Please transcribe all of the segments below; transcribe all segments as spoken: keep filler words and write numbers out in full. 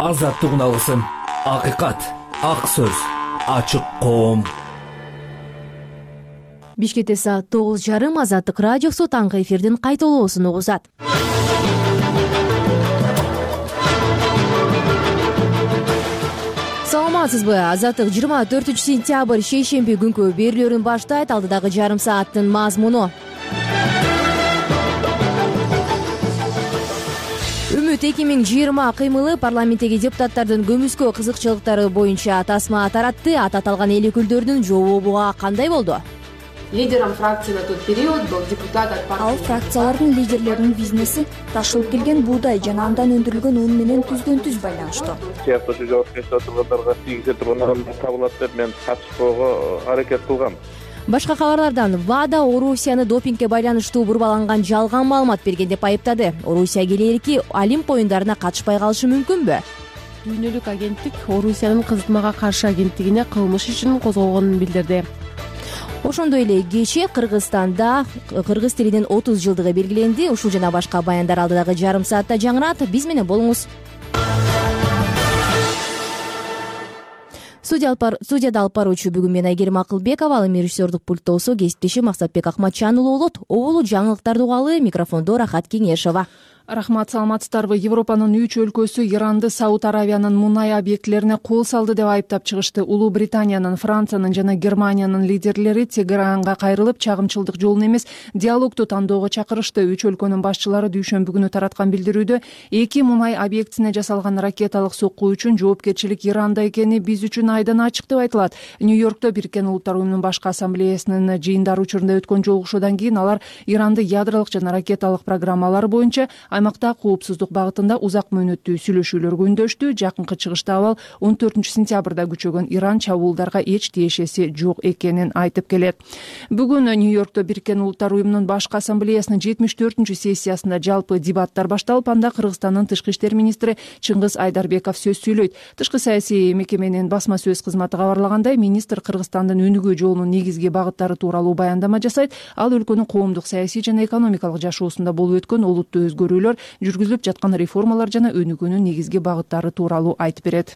азаттык алсын. Акыйкат, ак сөз, ачык коом. Бишкекте саат тогуз жарым Азаттык радиосу таңкы эфирдин кайталоосун угузат. Саламатсызбы? Азаттык жыйырма төртүнчү сентябрь шейшемби күнкү берүүлөрүн баштайт. Алдыдагы жарым сааттын мазмуну: Үмүт эки миң жыйырма кыймылы парламенттеги депутаттардын көмүскө кызыкчылыктары боюнча тасма таратты. Ат аталган эл өкүлдөрүнүн жообу кандай болду? Лидером фракции на тот период был депутат от партии. Ал фракциялардын лидерлеринин бизнеси ташылып келген буудай жана андан өндүрүлгөн ун менен түздөн түз байланыштуу. Сыяктуу жоопкерчиликте тургандарга тийгизе турган адамдар табылат деп мен катышпоого аракет кылгам. Башка кабарлардан ВАДА Орусияны допингге байланыштуу бурбаланган жалган маалымат берген деп айыптады. Орусия келээрки Олимп оюндарына катышпай калышы мүмкүнбү? Дүйнөлүк агенттик Орусиянын кызытмага каршы агенттигине кылмыш ишин козгогонун билдирди. Ошондой эле кечээ Кыргызстанда кыргыз тилинин отуз жылдыгы белгиленди. Ушул жана башка баяндар алдыдагы жарым саатта жаңырат. Биз менен болуңуз. Студияда алып баруучу бүгүн мен Айгерим Акылбекова, ал эми режиссердук пульттоосу кесиптешим Максатбек Акматжанұлы болот. Оболу жаңылыктарды угалы, микрофондо Рахат Кеңешова. Рахмат, саламатсыздарбы? Европанын үч өлкөсү Иранды Сауд Аравиянын мунай объектилерине кол салды деп айыптап чыгышты. Улуу Британиянын, Франциянын жана Германиянын лидерлери Тегеранга кайрылып, чагымчылдык жолун эмес, диалогду тандоого чакырышты. Үч өлкөнүн башчылары дүйшөмбү күнү тараткан билдирүүдө эки мунай объектисине жасалган ракеталык сокку үчүн жоопкерчилик Иранда экени биз үчүн айдан ачык деп айтылат. Нью-Йоркто Бириккен Улуттар уюмунун башкы ассамблеясынын жыйындары учурунда өткөн жолугушуудан кийин алар Иранды ядролук жана ракеталык программалары боюнча аймакта коопсуздук багытында узак мөөнөттүү сүйлөшүүлөргө үндөштү. Жакынкы чыгышта абал он төртүнчү сентябрда күчөгөн Иран чабуулдарга эч тиешеси жок экенин айтып келет. Бүгүн Нью-Йоркто Бириккен Улуттар уюмунун башкы ассамблеясынын жетимиш төртүнчү сессиясында жалпы дебаттар башталып, анда Кыргызстандын тышкы иштер министри Чыңгыз Айдарбеков сөз сүйлөйт. Тышкы саясий мекеменин басма сөз кызматы кабарлагандай, министр Кыргызстандын өнүгүү жолунун негизги багыттары тууралуу баяндама жасайт. Ал өлкөнүн коомдук, саясий жана экономикалык жашоосунда болуп өткөн олуттуу өзгөрүүлөр, жүргүзүлүп жаткан реформалар жана өнүгүүнүн негизги багыттары тууралуу айтып берет.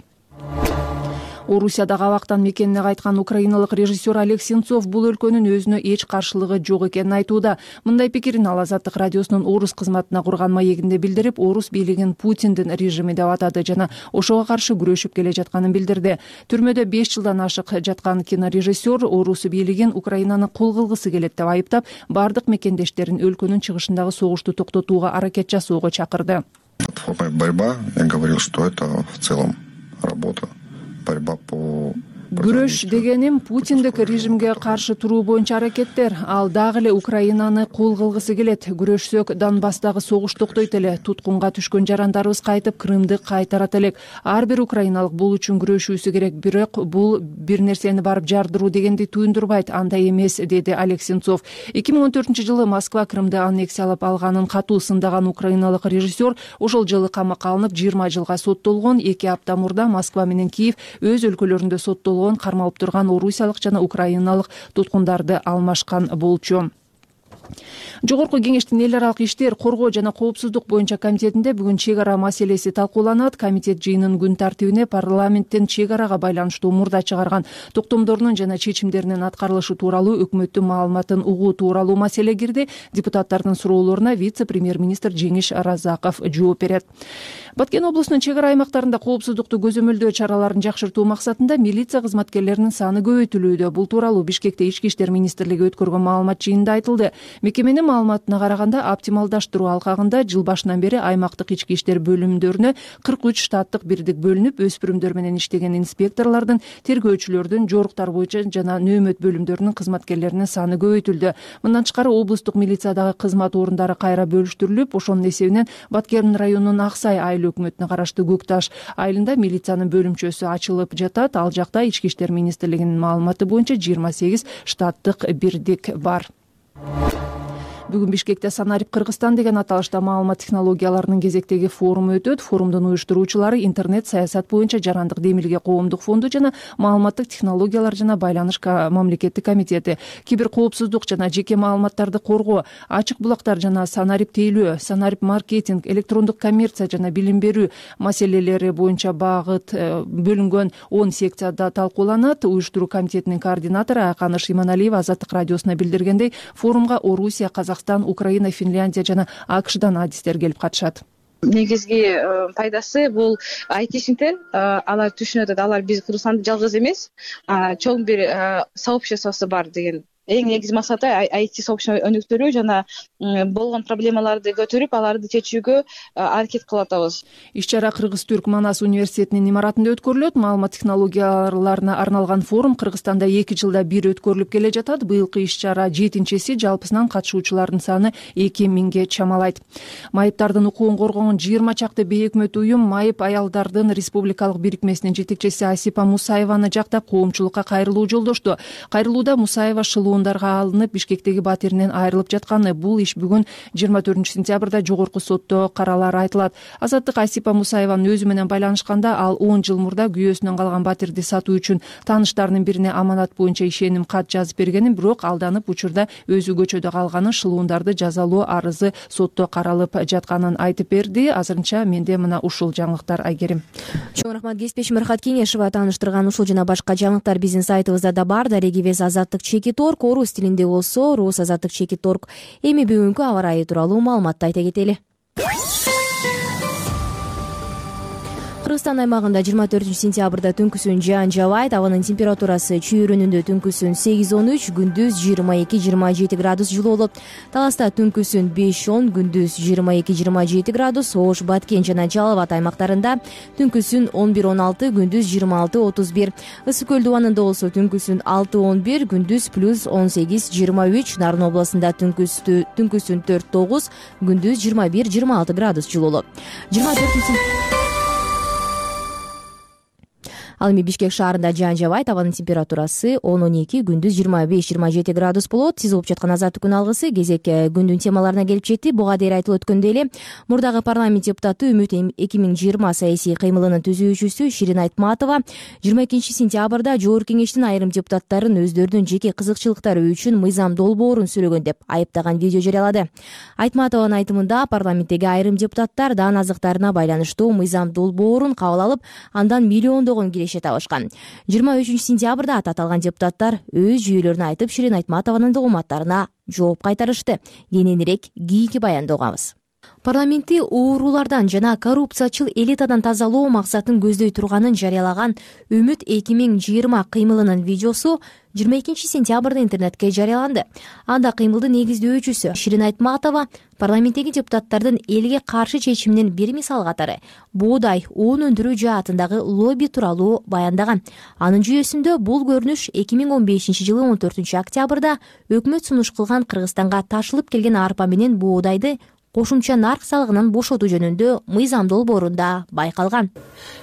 Орусиядагы абактан мекенине кайткан украиналык режиссер Олег Сенцов бул өлкөнүн өзүнө эч каршылыгы жок экенин айтууда. Мындай пикирин ал Азаттык радиосунун орус кызматына курган маегинде билдирип, орус бийлигин Путиндин режими деп атады жана ошого каршы күрөшүп келе жатканын билдирди. Түрмөдө беш жылдан ашык жаткан кинорежиссер орус бийлигин Украинаны кол кылгысы келет деп айыптап, бардык мекендештерин өлкөнүн чыгышындагы согушту токтотууга аракет жасоого чакырды. Борьба, я говорил, что это в целом работа. Борьба по Күрөш дегеним Путиндик режимге каршы туруу боюнча аракеттер. Ал дагы эле Украинаны кол кылгысы келет. Күрөшсөк Донбасстагы согуш токтойт эле. Туткунга түшкөн жарандарыбыз кайтып Крымды кайтарат элек. Ар бир украиналык бул үчүн күрөшүүсү керек. Бирок бул бир нерсени барып жардыруу дегенди түйүндүрбайт. Андай эмес, деди Олег Сенцов. эки миң он төртүнчү жылы Москва Крымды аннексиялап алганын катуу сындаган украиналык режиссер ошол жылы камакка алынып жыйырма жылга соттолгон. эки апта мурда Москва менен Киев өз өлкөлөрүндө соттолгон кармалып турган орусиялык жана украиналык туткундарды алмашкан болчу. Жогорку кеңештин эл аралык иштер, коргоо жана коопсуздук боюнча комитетинде бүгүн чек ара маселеси талкууланат. Комитет жыйынын күн тартибине парламенттин чек арага байланыштуу мурда чыгарган токтомдорунун жана чечимдеринин аткарылышы тууралуу өкмөттүн маалыматын угуу тууралуу маселе кирди. Депутаттардын суроолоруна вице-премьер-министр Жеңиш Разаков жооп берет. Баткен облусунун чек ара аймактарында коопсуздукту көзөмөлдөө чараларын жакшыртуу максатында милиция кызматкерлеринин саны көбөйтүлүүдө. Бул тууралуу Бишкекте Ички иштер министрлиги өткөргөн маалымат жыйынында айтылды. Мекеменин маалыматына караганда, оптималдаштыруу алкагында жыл башынан бери аймактык ички иштер бөлүмдөрүнө кырк үч штаттык бирдик бөлүнүп, өспүрүмдөр менен иштеген инспекторлордун, тергөөчүлөрдүн, жоруктар боюнча жана нөөмөт бөлүмдөрүнүн кызматкерлеринин саны көбөйтүлдү. Мындан тышкары облустук милициядагы кызмат орундары кайра бөлүштүрүлүп, ошонун эсебинен Баткен районунун Аксай айыл өкмөтүнө караштуу Көк Таш айылында милициянын бөлүмчөсү ачылып жатат. Ал жакта Ички иштер министрлигинин маалыматы боюнча жыйырма сегиз штаттык бирдик бар. Бүгүн Бишкекте Санарип Кыргызстан деген аталышта маалымат технологияларынын кезектеги форуму өтөт. Форумдун уюштуруучулары интернет саясат боюнча жарандык демилге коомдук фонду жана маалыматтык технологиялар жана байланыш мамлекеттик комитети. Киберкоопсуздук жана жеке маалыматтарды коргоо, ачык булактар жана Санарип тейлөө, Санарип маркетинг, электрондук коммерция жана билим берүү маселелери боюнча багыт бөлүнгөн он секцияда талкууланат. Уюштуруу комитетинин координатору Аканыш Иманалиева Азаттык радиосуна билдиргендей, форумга Орусия, Казакстан, Украина, Финляндия жана АКШдан адистер келип катышат. Негизги пайдасы бул айтишниктер, алар түшүнүп атат, алар биз Кыргызстанда жалгыз эмес, чоң бир сообществосу бар деген. Эң негизги максаты ай ти сообщество өнүктүрүү жана болгон проблемаларды көтөрүп, аларды чечүүгө аракет кылып атабыз. Иш-чара Кыргыз-Түрк Манас университетинин имаратында өткөрүлөт. Маалымат технологияларына арналган форум Кыргызстанда эки жылда бир өткөрүлүп келе жатат. Быйылкы иш-чара жетинчиси, жалпысынан катышуучулардын саны эки миңге чамалайт. Майыптардын укугун коргогон жыйырма чакты бейөкмөт уюм Майып аялдардын республикалык бирикмесинин жетекчиси Асипа Мусаеваны жактап коомчулукка кайрылуу жолдошту. Кайрылууда Мусаева шылуундарга алынып Бишкектеги батиринен айрылып жатканы, бул иш бүгүн жыйырма төртүнчү сентябрда жогорку сотто каралары айтылат. Азаттык Асипа Мусаеванын өзү менен байланышканда, ал он жыл мурда күйөөсүнөн калган батирди сатуу үчүн тааныштарынын бирине аманат боюнча ишеним кат жазып бергенин, бирок алданып учурда өзү көчөдө калганын, шылуундарды жазалоо арызы сотто каралып жатканын айтып берди. Азырынча менде мына ушул жаңылыктар, Айгерим. Чоң рахмат Кеспеш Мирхат Кеңешова тааныштырган ушул жана башка жаңылыктар биздин сайтыбызда да бар. Дареги вес Азаттык чекит точка орг, орус тилинде болсо рус азаттык чекит точка орг. Эми бүгүнкү аба ырайы тууралуу маалыматты айта кетели. Кыргызстан аймагында жыйырма төртүнчү сентябрда түнкүсүн жаан жаабайт. Абанын температурасы чүйүрүнүндө түнкүсүн сегиз он үч, күндүз жыйырма эки жыйырма жети градус жылуу болот. Таласта түнкүсүн беш он, күндүз жыйырма эки жыйырма жети градус, Ош, Баткен жана Жалал Абад аймактарында түнкүсүн он бир он алты, күндүз жыйырма алты отуз бир. Ысык көл дубанында болсо түнкүсүн алты он бир, күндүз плюс он сегиз жыйырма үч, Нарын областында түнкүстү түнкүсүн төрт тогуз, күндүз жыйырма бир жыйырма алты градус жылуу болот. жыйырма төртүнчү Ал эми Бишкек шаарында жаан жаабайт. Абанын температурасы он он эки, күндүз жыйырма беш жыйырма жети градус болот. Сиз угуп жаткан Азаттык күн алгысы кезек күндүн темаларына келип жетти. Буга дейин айтылып өткөндөй эле, мурдагы парламент депутаты Үмүт эки миң жыйырма саясий кыймылынын түзүүчүсү Ширин Айтматова жыйырма экинчи сентябрда Жогорку Кеңештин айрым депутаттарын өздөрүнүн жеке кызыкчылыктары үчүн мыйзам долбоорун сүйлөгөн деп айыптаган видео жарыялады. Айтматованын айтымында, парламенттеги айрым депутаттар даан азыктарына байланыштуу мыйзам долбоорун кабыл алып, андан миллиондогон табышкан. жыйырма үчүнчү сентябрда аты аталган депутаттар өз жүйөлөрүн айтып, Ширин Айтматованын догуматтарына жооп кайтарышты. Кененирээк кийинки баянда угабыз. Парламентти оорулардан жана коррупциячыл элитадан тазалоо максатын көздөй турганын жарыялаган Үмүт эки миң жыйырма кыймылынын видеосу жыйырма экинчи сентябрда интернетке жарыяланды. Анда кыймылдын негиздөөчүсү Ширин Айтматова парламенттеги депутаттардын элге каршы чечиминин бир мисалы катары буудай уун өндүрүү жаатындагы лобби тууралуу баяндаган. Анын жүйөсүндө бул көрүнүш эки миң он бешинчи жылы он төртүнчү октябрда өкмөт сунуш кылган Кыргызстанга ташылып келген арпа менен боодайды кошумча нарк салыгынан бошотуу жөнүндө мыйзам долбоорунда байкалган.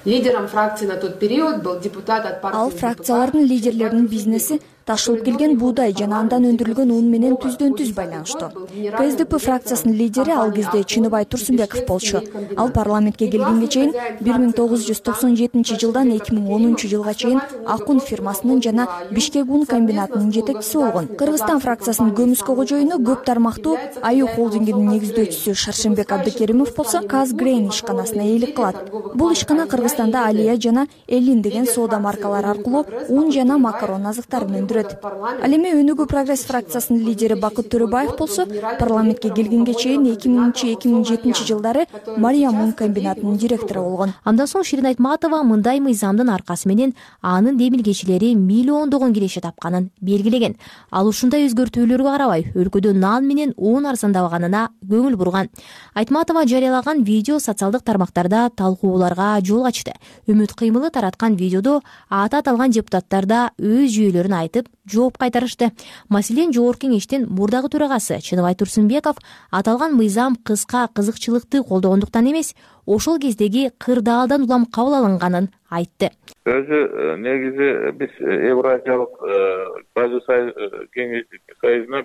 Лидером фракции на тот период был депутат от партии. Ал фракциялардын лидерлеринин бизнеси ташылып келген буудай жана андан өндүрүлгөн ун менен түздөн түз байланыштуу. ка эс дэ пэ фракциясынын лидери ал кезде Чыныбай Турсунбеков болчу. Ал парламентке келгенге чейин бир миң тогуз жүз токсон жетинчи жылдан эки миң онунчу жылга чейин Акун фирмасынын жана Бишкек ун комбинатынын жетекчиси болгон. Кыргызстан фракциясынын көмүскө кожоюну көп тармактуу Аю холдингинин негиздөөчүсү Шаршембек Абдыкеримов болсо Казгрейн ишканасына ээлик кылат. Бул ишкана Кыргызстанда Алия жана Элин деген соода маркалары аркылуу ун жана макарон азыктарын өндүрөт. Ал эми Өнүгүү прогресс фракциясынын лидери Бакыт Төрөбаев болсо парламентке келгенге чейин эки миңинчи эки миң жетинчи жылдары Мариям ун комбинатынын директору болгон. Андан соң Ширин Айтматова мындай мыйзамдын аркасы менен анын демилгечилери миллиондогон киреше тапканын белгилеген. Ал ушундай өзгөртүүлөргө карабай өлкөдө нан менен уун арзандабаганына көңүл бурган. Айтматова жарыялаган видео социалдык тармактарда талкууларга жол ачты. Үмүт кыймылы тараткан видеодо аты аталган депутаттар да өз жүйөлөрүн айтып жооп кайтарышты. Маселен, Жогорку Кеңештин мурдагы төрагасы Чыныбай Турсунбеков аталган мыйзам кыска кызыкчылыкты колдогондуктан эмес, ошол кездеги кырдаалдан улам кабыл алынганын айтты. Өзү негизи биз Евразиялык база союзуна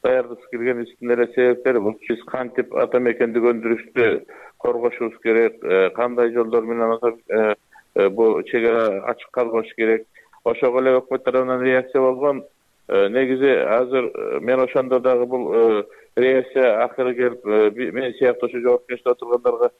даярдыксыз келген үстүн эле себептери бул. Биз кантип ата мекендик өндүрүштү коргошубуз керек, кандай жолдор менен бул чегара ачык калбаш керек. Ошого эле өкмөт тарабынан реакция болгон. Негизи азыр мен ошондо дагы бул реакция акыры келип, мен сыяктуу ошо жоопкерчиликте отургандарга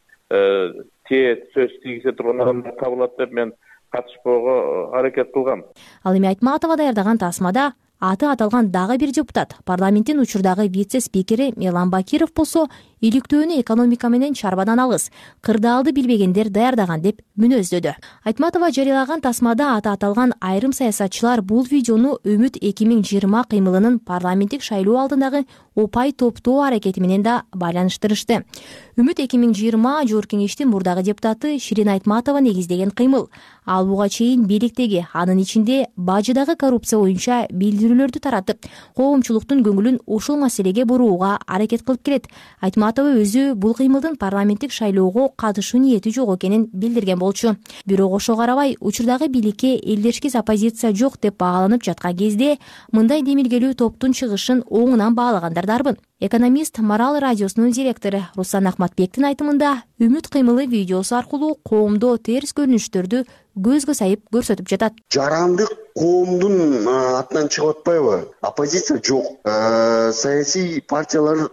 тие сөз тийгизе турган адамдар табылат деп мен катышпоого аракет кылгам. Ал эми Айтматова даярдаган тасмада аты аталган дагы бир депутат, парламенттин учурдагы вице-спикери Мелан Бакиров болсо, иликтөөнү экономика менен чарбадан алыс, кырдаалды билбегендер даярдаган деп мүнөздөдү. Айтматова жарыялаган тасмада аты аталган айрым саясатчылар бул видеону Үмүт эки миң жыйырма кыймылынын парламенттик шайлоо алдындагы опай топтоо аракети менен да байланыштырышты. Үмүт эки миң жыйырма жогорку кеңештин мурдагы депутаты Ширин Айтматова негиздеген кыймыл. Ал буга чейин бийликтеги, анын ичинде бажыдагы коррупция боюнча билдирүүлөрдү таратып, коомчулуктун көңүлүн ушул маселеге бурууга аракет кылып келет. Айтматова өзү бул кыймылдын парламенттик шайлоого катышуу ниети жок экенин билдирген болчу. Бирок ошого карабай, учурдагы бийликке элдешкис оппозиция жок деп бааланып жаткан кезде мындай демилгелүү топтун чыгышын оңунан баалагандар дарбын. Экономист Марал радиосунун директору Руслан Ахматбектин айтымында, Үмүт кыймылы видеосу аркылуу коомдо терс көрүнүштөрдү көзгө сайып көрсөтүп жатат. Жарандык коомдун атынан чыгып атпайбы? Оппозиция жок. Саясий партиялар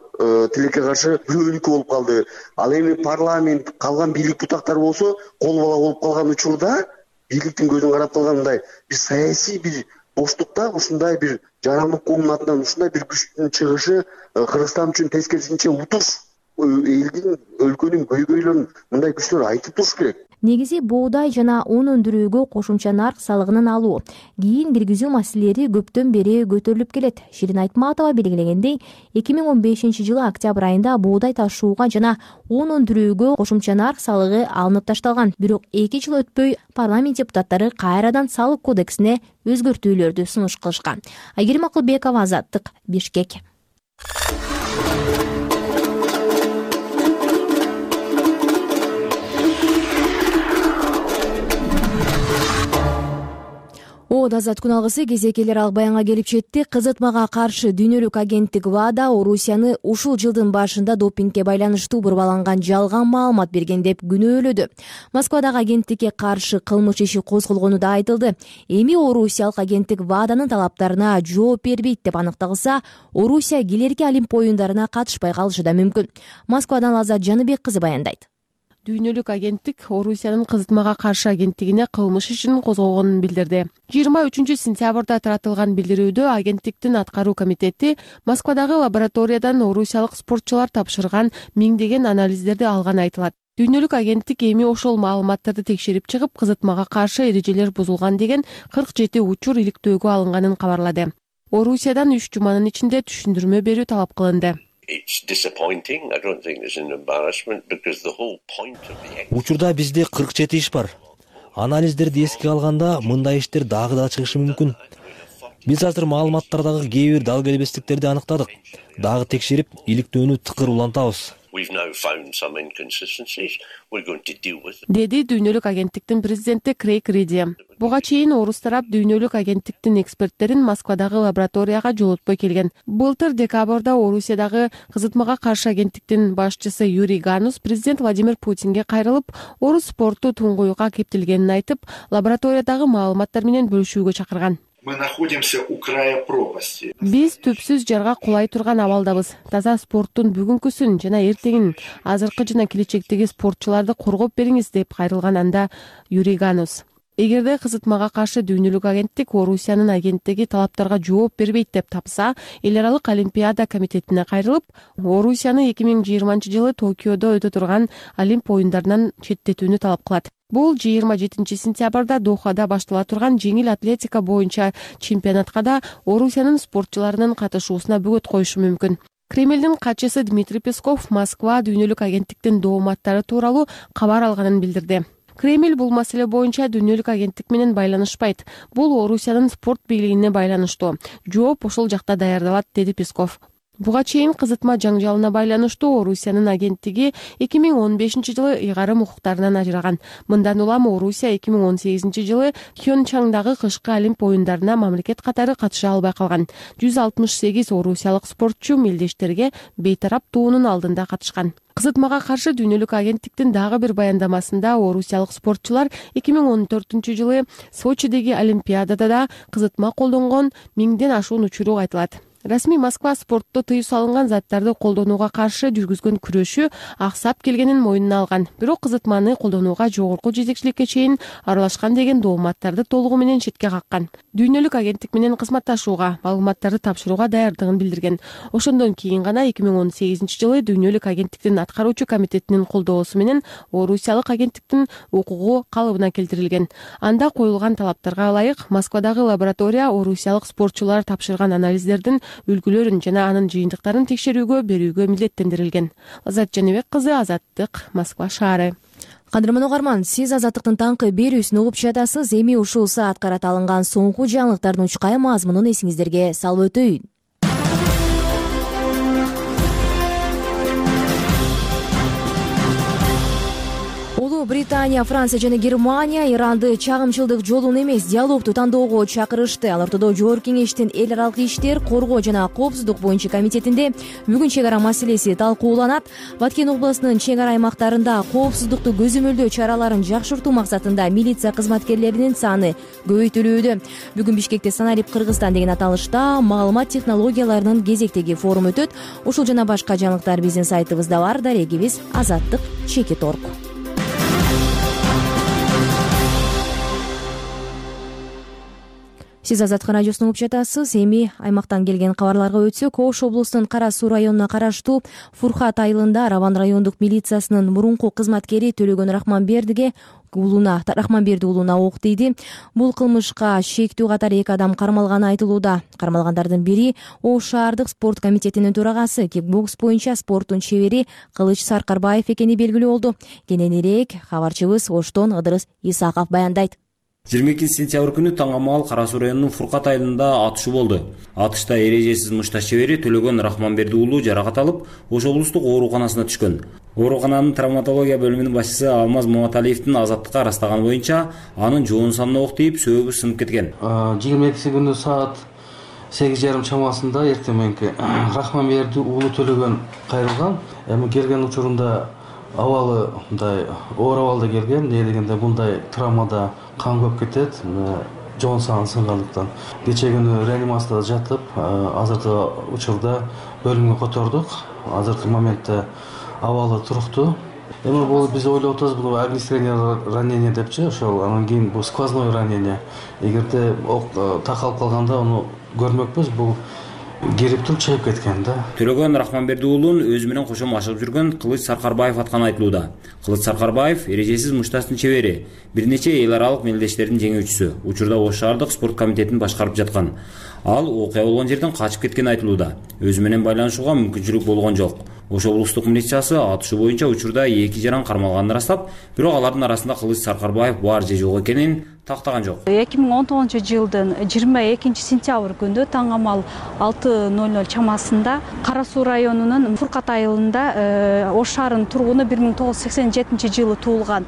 тилекке каршы бөлүнүккө болуп калды. Ал эми парламент, калган бийлик бутактары болсо, кол бала болуп калган учурда бийликтин көзүн карап калгандай бир саясий бир боштукта ушундай бир жарандык коомдун атынан ушундай бир күчтүн чыгышы Кыргызстан үчүн тескерисинче утуш. Элдин, өлкөнүн көйгөйлөрүн мындай күчтөр айтып туруш керек. Негизи буудай жана un өндүрүүгө кошумча нарк салыгынын алуу, кийин киргизүү маселелери көптөн бери көтөрүлүп келет. Ширин Айтматова белгилегендей, эки миң он бешинчи жылы октябрь айында буудай ташууга жана un өндүрүүгө кошумча нарк салыгы алынып ташталган. Бирок эки жыл өтпөй парламент депутаттары кайрадан салык кодексине өзгөртүүлөрдү сунуш кылышкан. Айгерим Акылбекова, Азаттык, Бишкек. Оод азат күн алгысы кезекелер ал баянга келип жетти. Кызытмага каршы дүйнөлүк агенттик ВАДА Орусияны ушул жылдын башында допингге байланыштуу бурбаланган жалган маалымат берген деп күнөөлөдү. Москвадагы агенттикке каршы кылмыш иши козголгону да айтылды. Эми орусиялык агенттик ВАДАнын талаптарына жооп бербейт деп аныкталса, Орусия келерки Олимп оюндарына катышпай калышы да мүмкүн. Москвадан Азат Жаныбек кызы баяндайт. Дүйнөлүк агенттик Орусиянын кызытмага каршы агенттигине кылмыш ишин козгогонун билдирди. жыйырма үчүнчү сентябрда таратылган билдирүүдө агенттиктин аткаруу комитети Москвадагы лабораториядан орусиялык спортчулар тапшырган миңдеген анализдерди алганы айтылат. Дүйнөлүк агенттик эми ошол маалыматтарды текшерип чыгып, кызытмага каршы эрежелер бузулган деген кырк жети учур иликтөөгө алынганын кабарлады. Орусиядан үч жуманын ичинде түшүндүрмө берүү талап кылынды. Учурда бизде кырк жети иш бар. Анализдерди эске алганда мындай иштер дагы да чыгышы мүмкүн. Биз азыр маалыматтардагы кээ бир дал келбестиктерди аныктадык. Дагы текшерип, иликтөөнү тыкыр улантабыз. Деди дүйнөлүк агенттиктин президенти Крейг Риди. Буга чейин орус тарап дүйнөлүк агенттиктин эксперттерин Москвадагы лабораторияга жолотпой келген. Былтыр декабрда Орусиядагы кызытмага каршы агенттиктин башчысы Юрий Ганус президент Владимир Путинге кайрылып, орус спорту туңгуюкка кептелгенин айтып, лабораториядагы маалыматтар менен бөлүшүүгө чакырган. Мы находимся у края пропасти. Биз түпсүз жарга кулай турган абалдабыз. Таза спорттун бүгүнкүсүн жана эртеңин, азыркы жана келечектеги спортчуларды коргоп бериңиз деп кайрылган анда Юрий Ганус. Эгерде кызытмага каршы дүйнөлүк агенттик Орусиянын агенттиги талаптарга жооп бербейт деп тапса, эл аралык Олимпиада комитетине кайрылып, Орусияны эки миң жыйырманчы жылы Токиодо өтө турган Олимп оюндарынан четтетүүнү талап кылат. Бул жыйырма жетинчи сентябрда Дохада баштала турган жеңил атлетика боюнча чемпионатка да Орусиянын спортчуларынын катышуусуна бөгөт коюшу мүмкүн. Кремлдин катчысы Дмитрий Песков Москва дүйнөлүк агенттиктин дооматтары тууралуу кабар алганын билдирди. Кремль бул маселе боюнча дүйнөлүк агенттик менен байланышпайт. Бул Орусиянын спорт бийлигине байланыштуу. Жооп ошол жакта даярдалат, деди Песков. Буга чейин кызытма жаңжалына байланыштуу Орусиянын агенттиги эки миң он бешинчи жылы ыйгарым укуктарынан ажыраган. Мындан улам Орусия эки миң он сегизинчи жылы Пхенчхандагы кышкы Олимп оюндарына мамлекет катары катыша албай калган. жүз алтымыш сегиз орусиялык спортчу мелдештерге бейтарап туунун алдында катышкан. Кызытмага каршы дүйнөлүк агенттиктин дагы бир баяндамасында орусиялык спортчулар эки миң он төртүнчү жылы Сочидеги Олимпиадада да кызытма колдонгон миңден ашуун учуру айтылат. Расмий Москва спортто тыюу салынган заттарды колдонууга каршы жүргүзгөн күрөшү аксап келгенин мойнуна алган. Бирок кызытманы колдонууга жогорку жетекчиликке чейин аралашкан деген дооматтарды толугу менен четке каккан. Дүйнөлүк агенттик менен кызматташууга, маалыматтарды тапшырууга даярдыгын билдирген. Ошондон кийин гана эки миң он сегизинчи жылы дүйнөлүк агенттиктин аткаруучу комитетинин колдоосу менен Орусиялык агенттиктин укугу калыбына келтирилген. Анда коюлган талаптарга ылайык Москвадагы лаборатория орусиялык спортчулар тапшырган анализдердин үлгүлөрүн жана анын жыйынтыктарын текшерүүгө берүүгө милдеттендирилген. Азат Жаныбек кызы, Азаттык, Москва шаары. Кадырман угарман, сиз Азаттыктын таңкы берүүсүн угуп жатасыз. Эми ушул саатка карата алынган соңку жаңылыктардын учкай мазмунун эсиңиздерге салып өтөйүн. Британия, Франция жана Германия Иранды чагымчылдык жолун эмес, диалогду тандоого чакырышты. Ал ортодо Жогорку Кеңештин эл аралык иштер, коргоо жана коопсуздук боюнча комитетинде бүгүн чек ара маселеси талкууланат. Баткен областынын чек ара аймактарында коопсуздукту көзөмөлдөө чараларын жакшыртуу максатында милиция кызматкерлеринин саны көбөйтүлүүдө. Бүгүн Бишкекте Саналип Кыргызстан деген аталышта маалымат технологияларынын кезектеги форуму өтөт. Ушул жана башка жаңылыктар биздин сайтыбызда бар. Дарегибиз Азаттык чекит орг. Сиз Азаттык радиосун угуп жатасыз. Эми аймактан келген кабарларга өтсөк, Ош облусунун Кара Суу районуна караштуу Фурхат айылында Раван райондук милициясынын мурунку кызматкери Төлөгөн Рахманбердиге уулуна Рахманберди уулуна ок тийди. Бул кылмышка шектүү катары эки адам кармалганы айтылууда. Кармалгандардын бири Ош шаардык спорт комитетинин төрагасы, кикбокс боюнча спорттун чебери Кылыч Саркарбаев экени белгилүү болду. Кененирээк кабарчыбыз Оштон Ыдырыс Исаков баяндайт. жыйырма экинчи сентябрь күнү таң амал Кара Суу районунун Фуркат айылында атышуу болду. Атышта эрежесиз мушташ чебери Төлөгөн Рахманберди уулу жаракат алып, Ош облустук ооруканасына түшкөн. Оорукананын травматология бөлүмүнүн башчысы Алмаз Маматалиевдин Азаттыкка растаганы боюнча, анын жоон санына ок тийип, сөөгү сынып кеткен. жыйырма экинчи күнү саат сегиз жарым чамасында эртең мененки Рахманберди уулу Төлөгөн кайрылган. Эми келген учурунда абалы мындай оор абалда келген, эмне дегенде мындай травмада кан көп кетет, жоон саны сынгандыктан. Кечээ күнү реанимацияда жатып, азыркы учурда бөлүмгө котордук. Азыркы моментте абалы туруктуу. Эми бул биз ойлоп атабыз, бул огнестрельное ранение депчи, ошол анан кийин бул сквозное ранение. Эгерде ок такалып калганда аны көрмөкпүз, бул кирип туруп чыгып кеткен да. Төлөгөн Рахманберди уулун өзү менен кошо машыгып жүргөн Кылыч Саркарбаев атканы айтылууда. Кылыч Саркарбаев эрежесиз мушташтын чебери, бир нече эл аралык мелдештердин жеңүүчүсү. Учурда Ош шаардык спорт комитетин башкарып жаткан. Ал окуя болгон жерден качып кеткени айтылууда. Өзү менен байланышууга мүмкүнчүлүк болгон жок. Ош облустук милициясы атышуу боюнча учурда эки жаран кармалганын ырастап, бирок алардын арасында Кылыч Саркарбаев бар же жок экенин тактаган жок. эки миң он тогузунчу жылдын жыйырма экинчи сентябрь күнү таң амал алты ноль ноль чамасында Кара Суу районунун Фуркат айылында Ош шаарынын тургуну бир миң тогуз жүз сексен жетинчи жылы туулган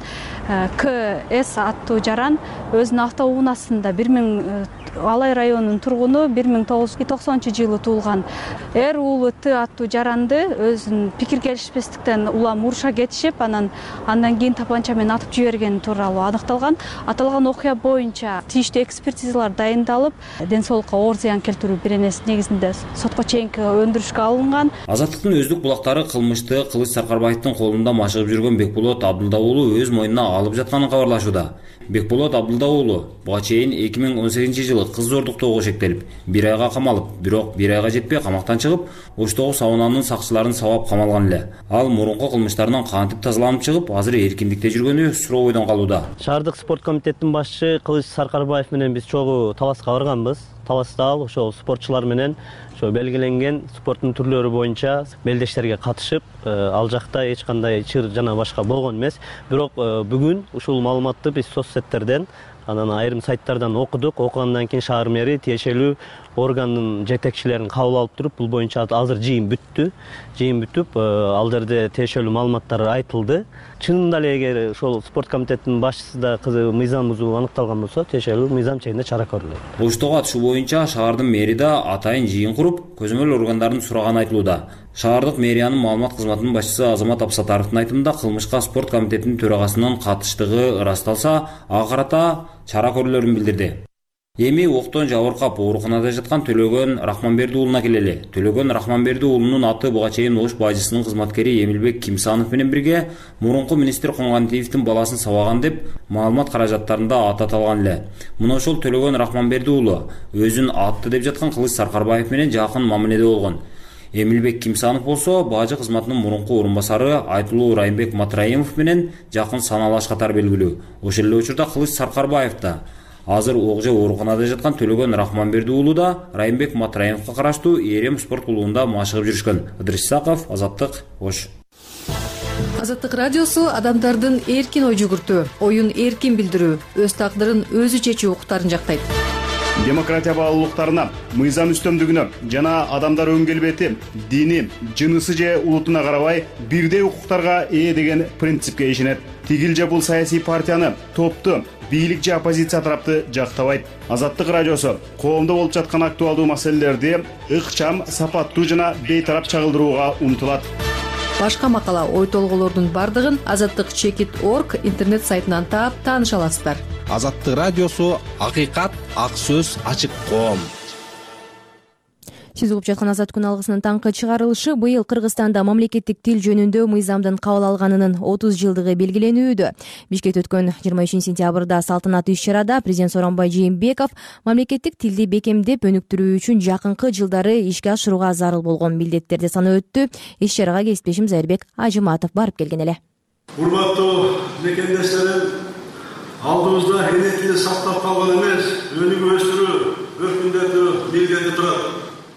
К С аттуу жаран өзүнүн автоунаасында бир миң Алай районунун тургуну бир миң тогуз жүз токсонунчу жылы туулган Р уулу Т аттуу жаранды өзүнүн пикир келишпестиктен улам уруша кетишип, анан андан кийин тапанча менен атып жибергени тууралуу аныкталган. Аталган окуя боюнча тийиштүү экспертизалар дайындалып, ден соолукка оор зыян келтирүү биренеси негизинде сотко чейинки өндүрүшкө алынган. Азаттыктын өздүк булактары кылмышты Кылыч Саркарбаевдин колунда машыгып жүргөн Бекболот Абдылда уулу өз мойнуна алып жатканын кабарлашууда. Бекболот Абдылда уулу буга чейин эки миң он сегизинчи жылы кыз зордуктоого шектелип, бир айга камалып, бирок бир айга жетпей камактан чыгып, Оштогу саунанын сакчыларын сабап камалган эле. Ал мурунку кылмыштарынан кантип тазаланып чыгып, азыр эркиндикте жүргөнү сурообойдон калууда. Шаардык спорт комитетинин башчы Кылыч Саркарбаев менен биз чогуу Таласка барганбыз. Таласта ал ошол спортчулар менен ошо белгиленген спорттун түрлөрү боюнча мелдештерге катышып, ал жакта эч кандай чыр жана башка болгон эмес. Бирок бүгүн ушул маалыматты биз соцсеттерден анан айрым сайттардан окудук. Окугандан кийин шаар мэри тиешелүү органдын жетекчилерин кабыл алып туруп, бул боюнча азыр жыйын бүттү. Жыйын бүтүп, ал жерде тиешелүү маалыматтар айтылды. Чынында эле эгер ошол спорт комитетинин башчысы да кызы мыйзам бузуу аныкталган болсо, тиешелүү мыйзам чегинде чара көрүлөт. Оштогу атышуу боюнча шаардын мэри да атайын жыйын куруп, көзөмөл органдарын сураганы айтылууда. Шаардык мэриянын маалымат кызматынын башчысы Азамат Абсатаровдун айтымында кылмышка спорт комитетинин төрагасынын катыштыгы ырасталса, ага карата чара көрүлөрүн билдирди. Эми октон жабыркап ооруканада жаткан Төлөгөн Рахманберди уулуна келели. Төлөгөн Рахманберди уулунун аты буга чейин Ош бажысынын кызматкери Эмилбек Кимсанов менен бирге мурунку министр Коңгантиевдин баласын сабаган деп маалымат каражаттарында аты аталган эле. Мына ошол Төлөгөн Рахманберди уулу өзүн атты деп жаткан Кылыч Саркарбаев менен жакын мамиледе болгон. Эмилбек Кимсанов болсо бажы кызматынын мурунку орун басары Айтылуу Райымбек Матраимов менен жакын саналаш катары белгилүү. Ошол эле учурда Кылыч Саркарбаев да азыр Окже ооруканада жаткан Төлөгөн Рахманберди уулу да Райымбек Матраимовго караштуу Эрем спорт клубунда машыгып жүрүшкөн. Ыдырыс Исаков, Азаттык, Ош. Азаттык радиосу адамдардын эркин ой жүгүртүү, оюн эркин билдирүү, өз тагдырын өзү чечүү укуктарын жактайт. Демократия баалуулуктарына, мыйзам үстөмдүгүнө жана адамдар өн келбети, дини, жынысы же улутуна карабай бирдей укуктарга ээ деген принципке ишенет. Тигил же бул саясий партияны, топту, бийлик же оппозиция тарапты жактабайт. Азаттык радиосу коомдо болуп жаткан актуалдуу маселелерди ыкчам, сапаттуу жана бейтарап чагылдырууга умтулат. Башка макала, ой толголордун бардыгын азаттык чекит точка орг интернет сайтынан таап тааныша аласыздар. Азаттык радиосу акыйкат, ак сөз, ачык коом. Сиз угуп жаткан Азат күн алгысынын таңкы чыгарылышы быйыл Кыргызстанда мамлекеттик тил жөнүндө мыйзамдын кабыл алганынын отуз жылдыгы белгиленүүдө. Бишкекте өткөн жыйырма үчүнчү сентябрда салтанаттуу иш-чарада президент Сооронбай Жээнбеков мамлекеттик тилди бекемдеп өнүктүрүү үчүн жакынкы жылдары ишке ашырууга зарыл болгон милдеттерди санап өттү. Иш-чарага кесиптешим Зайырбек Ажыматов барып келген эле. Урматтуу мекендештерим, алдыбызда эне тили сактап калган эмес, өнүгүп өстүрүү, өркүндөтүү милдети турат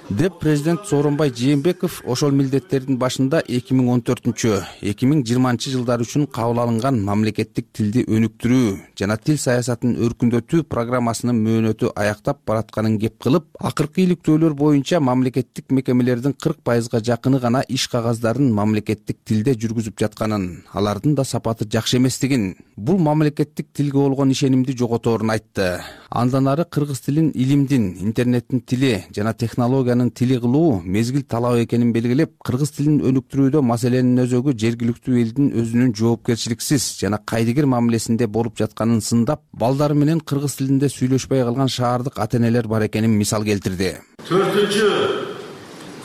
деп президент Сооронбай Жээнбеков ошол милдеттердин башында эки миң он төртүнчү эки миң жыйырманчы жылдар үчүн кабыл алынган мамлекеттик тилди өнүктүрүү жана тил саясатын өркүндөтүү программасынын мөөнөтү аяктап баратканын кеп кылып, акыркы иликтөөлөр боюнча мамлекеттик мекемелердин кырк пайызга жакыны гана иш кагаздарын мамлекеттик тилде жүргүзүп жатканын, алардын да сапаты жакшы эместигин, бул мамлекеттик тилге болгон ишенимди жоготорун айтты. Андан ары кыргыз тилин илимдин, интернеттин тили жана технологиянын тили кылуу мезгил талап экенин белгилеп, кыргыз тилин өнүктүрүүдө маселенин өзөгү жергиликтүү элдин өзүнүн жоопкерчиликсиз жана кайдыгер мамилесинде болуп жатканын сындап, балдары менен кыргыз тилинде сүйлөшпөй калган шаардык ата-энелер бар экенин мисал келтирди. Төртүнчү,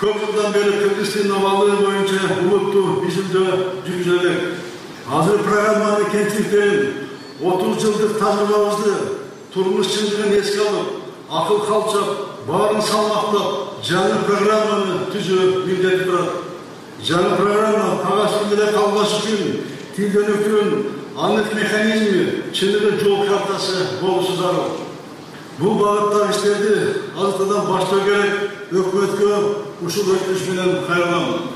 көп жылдан бери кыргыз тилинин абалы боюнча улуттуу изилдөө жүргүзүлөт. Азыр программаны кеңчиликтерин отуз жылдык тажрыйбабызды турмуш чындыгын эске алып, акыл калчап, баарын салмактап, жаңы программаны түзүү милдети турат. Жаңы программа кагаз тилде калбаш үчүн тилди өнүктүрүүнүн анык механизми, чыныгы жол картасы болушу зарыл. Бул багыттагы иштерди азыртадан баштоо керек. Өкмөткө ушул өтүнүш менен кайрылам.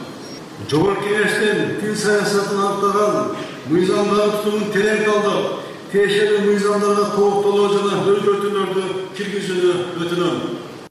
Жогорку Кеңештин тил саясатын аныктаган мыйзамдарды тутумун терең талдап, тиешелүү мыйзамдарга толуктоолоо жана өзгөртүүлөрдү киргизүүнү өтүнөм.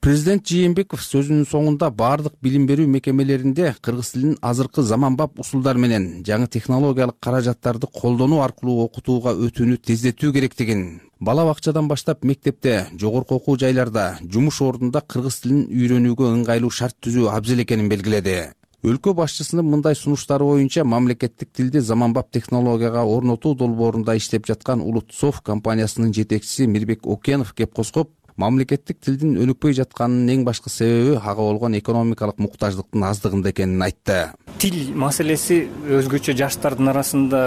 Президент Жээнбеков сөзүнүн соңунда бардык билим берүү мекемелеринде кыргыз тилин азыркы заманбап усулдар менен жаңы технологиялык каражаттарды колдонуу аркылуу окутууга өтүүнү тездетүү керектигин, бала бакчадан баштап мектепте, жогорку окуу жайларда, жумуш ордунда кыргыз тилин үйрөнүүгө ыңгайлуу шарт түзүү абзел экенин белгиледи. Өлкө башчысынын мындай сунуштары боюнча мамлекеттик тилди заманбап технологияга орнотуу долбоорунда иштеп жаткан Улутсофт компаниясынын жетекчиси Мирбек Окенов кеп коскоп, мамлекеттик тилдин өнүкпөй жатканынын эң башкы себеби ага болгон экономикалык муктаждыктын аздыгында экенин айтты. Тил маселеси өзгөчө жаштардын арасында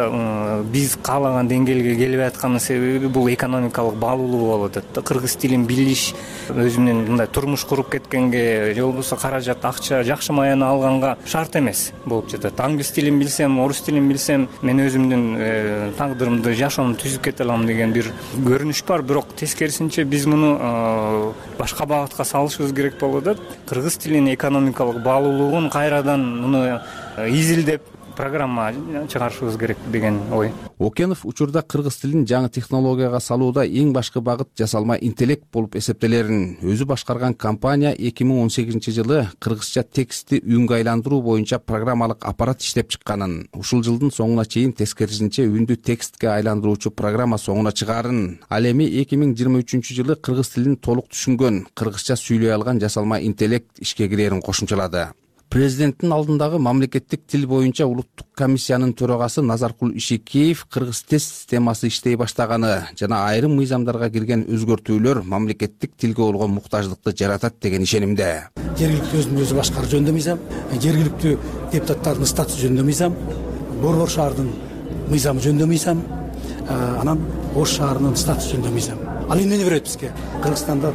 биз каалаган деңгээлге келбей атканын себеби бул экономикалык баалуулугу болуп атат. Кыргыз тилин билиш өзү менен мындай турмуш куруп кеткенге же болбосо каражат, акча, жакшы маяны алганга шарт эмес болуп жатат. Англис тилин билсем, орус тилин билсем, мен өзүмдүн тагдырымды, жашоомду түзүп кете алам деген бир көрүнүш бар. Бирок тескерисинче биз муну башка багытка салышыбыз керек болуп атат. Кыргыз тилинин экономикалык баалуулугун кайрадан муну изилдеп, программа чыгарышыбыз керек деген ой. Окенов учурда кыргыз тилин жаңы технологияга салууда эң башкы багыт жасалма интеллект болуп эсептелерин өзү башкарган компания эки миң он сегизинчи жылы кыргызча текстти үнгө айландыруу боюнча программалык аппарат иштеп чыкканын, ушул жылдын соңуна чейин тескерисинче үндү текстке айландыруучу программа соңуна чыгаарын, ал эми эки миң жыйырма үчүнчү жылы кыргыз тилин толук түшүнгөн, кыргызча сүйлөй алган жасалма интеллект ишке кирерин кошумчалады. Президенттин алдындагы мамлекеттик тил боюнча улуттук комиссиянын төрагасы Назаркул Ишекеев кыргыз тест системасы иштей баштаганы жана айрым мыйзамдарга кирген өзгөртүүлөр мамлекеттик тилге болгон муктаждыкты жаратат деген ишенимде. Жергиликтүү өзүн өзү башкаруу жөнүндө мыйзам, жергиликтүү депутаттардын статусу жөнүндө мыйзам, Борбор шаардын мыйзамы жөнүндө мыйзам, анан Ош шаарынын статусу жөнүндө мыйзам. Ал эмнени берет бизге? Кыргызстанда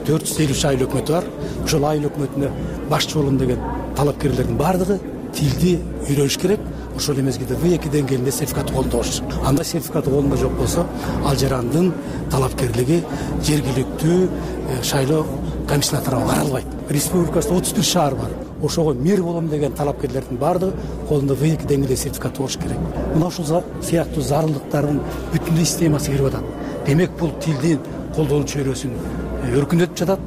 төрт жүз элүү үч айыл өкмөтү бар. Ошол айыл өкмөтүнө башчы болом деген талапкерлердин баардыгы тилди үйрөнүш керек. Ошол мезгилде В эки деңгээлинде сертификат колдо болуш. Анда сертификаты колунда жок болсо, ал жарандын талапкерлиги жергиликтүү шайлоо комиссиясына тарабы каралбайт. Республикасында отуз бир шаар бар. Ошого мэр болом деген талапкерлердин баардыгы колунда В эки деңгээлде сертификаты болуш керек. Мына ушул сыяктуу зарылдыктардын бүтүндөй системасы кирип атат. Демек бул тилдин колдонуу чөйрөсүн өркүндөтүп жатат,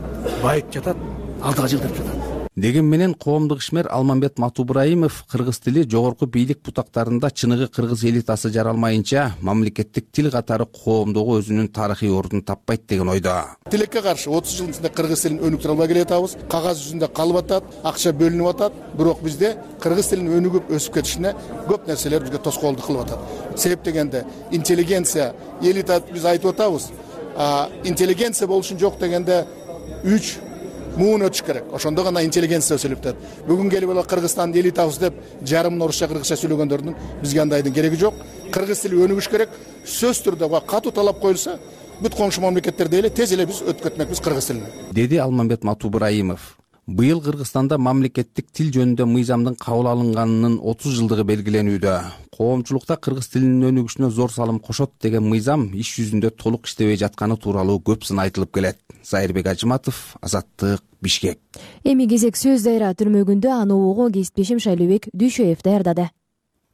байытып жатат, алдыга жылдырып жатат. Деген менен коомдук ишмер Алмамбет Матубраимов кыргыз тили жогорку бийлик бутактарында чыныгы кыргыз элитасы жаралмайынча мамлекеттик тил катары коомдогу өзүнүн тарыхый ордун таппайт деген ойдо. Тилекке каршы отуз жылдын ичинде кыргыз тилин өнүктүрө албай келатабыз. Кагаз жүзүндө калып атат, акча бөлүнүп атат, бирок бизде кыргыз тилинин өнүгүп өсүп кетишине көп нерселер бизге тоскоолдук кылып атат. Себеп дегенде интеллигенция, элита биз айтып атабыз. Интеллигенция болушун жок дегенде үч муун өтүш керек. Ошондо гана интеллигенция өсүлүп атат. Бүгүн келип эле Кыргызстандын элитабыз деп жарымын орусча кыргызча сүйлөгөндөрдүн бизге андайдын кереги жок. Кыргыз тили өнүгүш керек. Сөз түрдө катуу талап коюлса, бүт коңшу мамлекеттерде эле тез эле биз өтүп кетмекпиз кыргыз тилине. Деди Алмамбет Матубраимов. Быйыл Кыргызстанда мамлекеттик тил жөнүндө мыйзамдын кабыл алынганынын отуз жылдыгы белгиленүүдө. Коомчулукта кыргыз тилинин өнүгүшүнө зор салым кошот деген мыйзам иш жүзүндө толук иштебей жатканы тууралуу көп сын айтылып келет. Зайырбек Ажыматов, Азаттык, Бишкек. Эми кезек сөз дайра түрмөгүндө аны угуу кесиптешим Шайлообек Дүйшөев даярдады.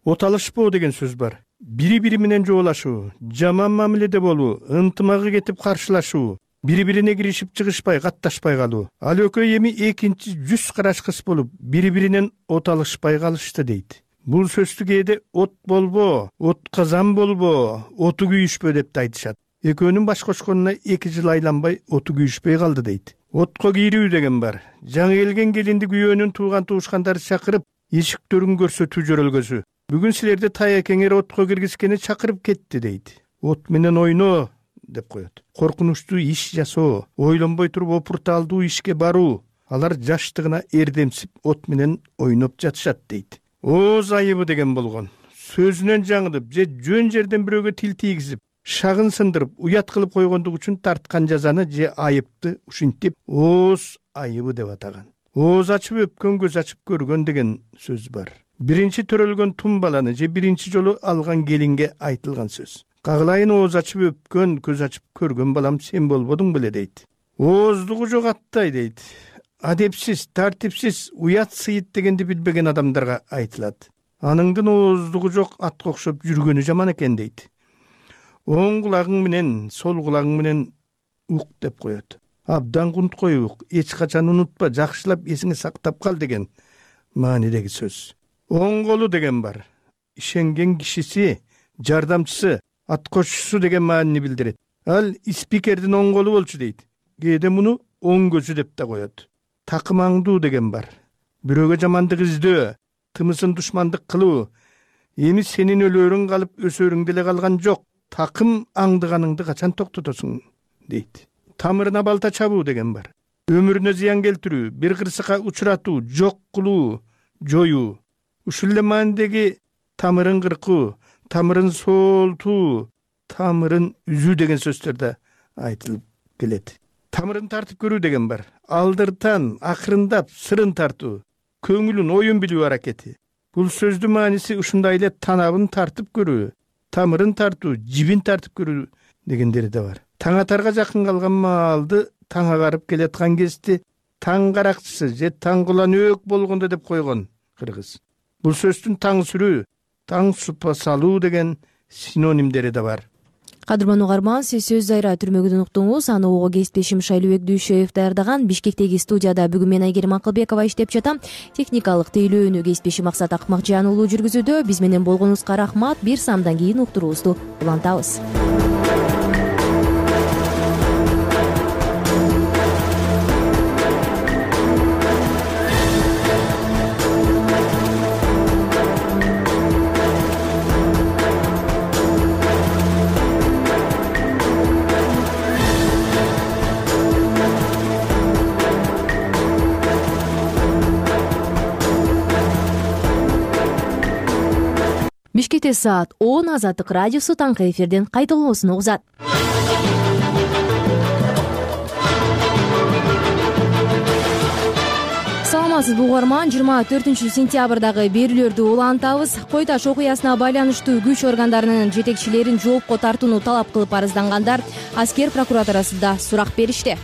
Оталышпоо деген сөз бар. Бири-бири менен жоолашуу, жаман мамиледе болуу, ынтымагы кетип каршылашуу, бири-бирине киришип чыгышпай, катташпай калуу. Ал экөө эми экинчи жүз караш кыз болуп, бири-биринен оталышпай калышты дейт. Бул сөздү кээде от болбо, от казан болбо, оту күйүшпө деп да айтышат. Экөөнүн баш кошконуна эки жыл айланбай оту күйүшпөй калды дейт. Отко кийрүү деген бар. Жаңы келген келинди күйөөнүн тууган туушкандары чакырып, эшиктерин көрсөтүү жөрөлгөсү. Бүгүн силерди таякеңер отко киргизгени чакырып кетти дейт. От менен ойноо деп коет. Коркунучтуу иш жасоо, ойлонбой туруп опурталдуу ишке баруу. Алар жаштыгына эрдемсип от менен ойноп жатышат дейт. Ооз айыбы деген болгон. Сөзүнөн жаңылып, же жөн жерден бирөөгө тил тийгизип, шагын сындырып, уят кылып койгондук үчүн тарткан жазаны же айыпты ушинтип ооз айыбы деп атаган. Ооз ачып өпкөн көз ачып көргөн деген сөз бар. Биринчи төрөлгөн тум баланы же биринчи жолу алган келинге айтылган сөз. Кагылайын ооз ачып өпкөн, көз ачып көргөн балам сен болбодуң беле дейт. Ооздугу жок аттай дейт. Адепсиз, тартипсиз, уят сыйыт дегенди билбеген адамдарга айтылат. Аныңдын ооздугу жок атка окшоп жүргөнү жаман экен дейт. Оң кулагың менен, сол кулагың менен ук деп коет. Абдан кунткой ук, эч качан унутпа, жакшылап эсиңе сактап кал деген маанидеги сөз. Оң колу деген бар. Ишенген кишиси, жардамчысы, ат кошчусу деген маанини билдирет. Ал спикердин оң колу болчу дейт. Кээде муну оң көзү деп да коет. Такымаңдуу деген бар. Бирөөгө жамандык издөө, тымысын душмандык кылуу. Эми сенин өлөрүң калып, өсөрүң деле калган жок. Такым аңдыганыңды качан токтотосуң дейт. Тамырына балта чабуу деген бар. Өмүрүнө зыян келтирүү, бир кырсыкка учуратуу, жок кылуу, жоюу. Ушул эле маанидеги тамырын кыркуу, тамырын соолтуу, тамырын үзүү деген сөздөр да айтылып келет. Тамырын тартып көрүү деген бар. Алдыртан, акырындап, сырын тартуу, көңүлүн, оюн билүү аракети. Бул сөздүн мааниси ушундай эле танабын тартып көрүү, тамырын тартуу, жибин тартып көрүү дегендери да бар. Таң атарга жакын калган маалды таң агарып келаткан кезде таң каракчысы же таң кулан өк болгондо деп койгон кыргыз. Бул сөздүн таң сүрүү, таң супа салуу деген синонимдери да бар. Кадырман угарман, сиз сөз айра түрмөгүдөн уктуңуз. Аны ого кесиптешим Шайлыбек Дүйшөев даярдаган. Бишкектеги студияда бүгүн мен Айгерим Акылбекова иштеп жатам. Техникалык тейлөөнү кесиптешим Максат Акмакжан уулу жүргүзүүдө. Биз менен болгонуңузга рахмат. Бир самдан кийин уктуруубузду улантабыз. Бишкекте саат он. Азаттык радиосу таңкы эфирден кайталоосун угузат. Саламатсызбы угарман, жыйырма төртүнчү сентябрдагы берүүлөрдү улантабыз. Кой Таш окуясына байланыштуу күч органдарынын жетекчилерин жоопко тартууну талап кылып арыздангандар аскер прокуратурасында сурак беришти.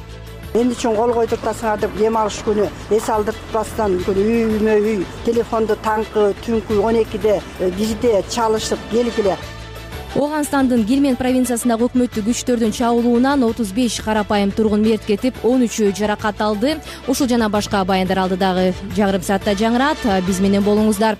Эмне үчүн кол койдуртасыңар деп дем алыш күнү эс алдыртпастан үймө үй телефонду таңкы түнкү он экиде бирде чалышып келгиле. Оганстандын Гельманд провинциясындагы өкмөттүк күчтөрдүн чабуулуунан отуз беш карапайым тургун мерт кетип, он үчөө жаракат алды. Ушул жана башка баяндар алдыдагы жарым саатта жаңырат. Биз менен болуңуздар.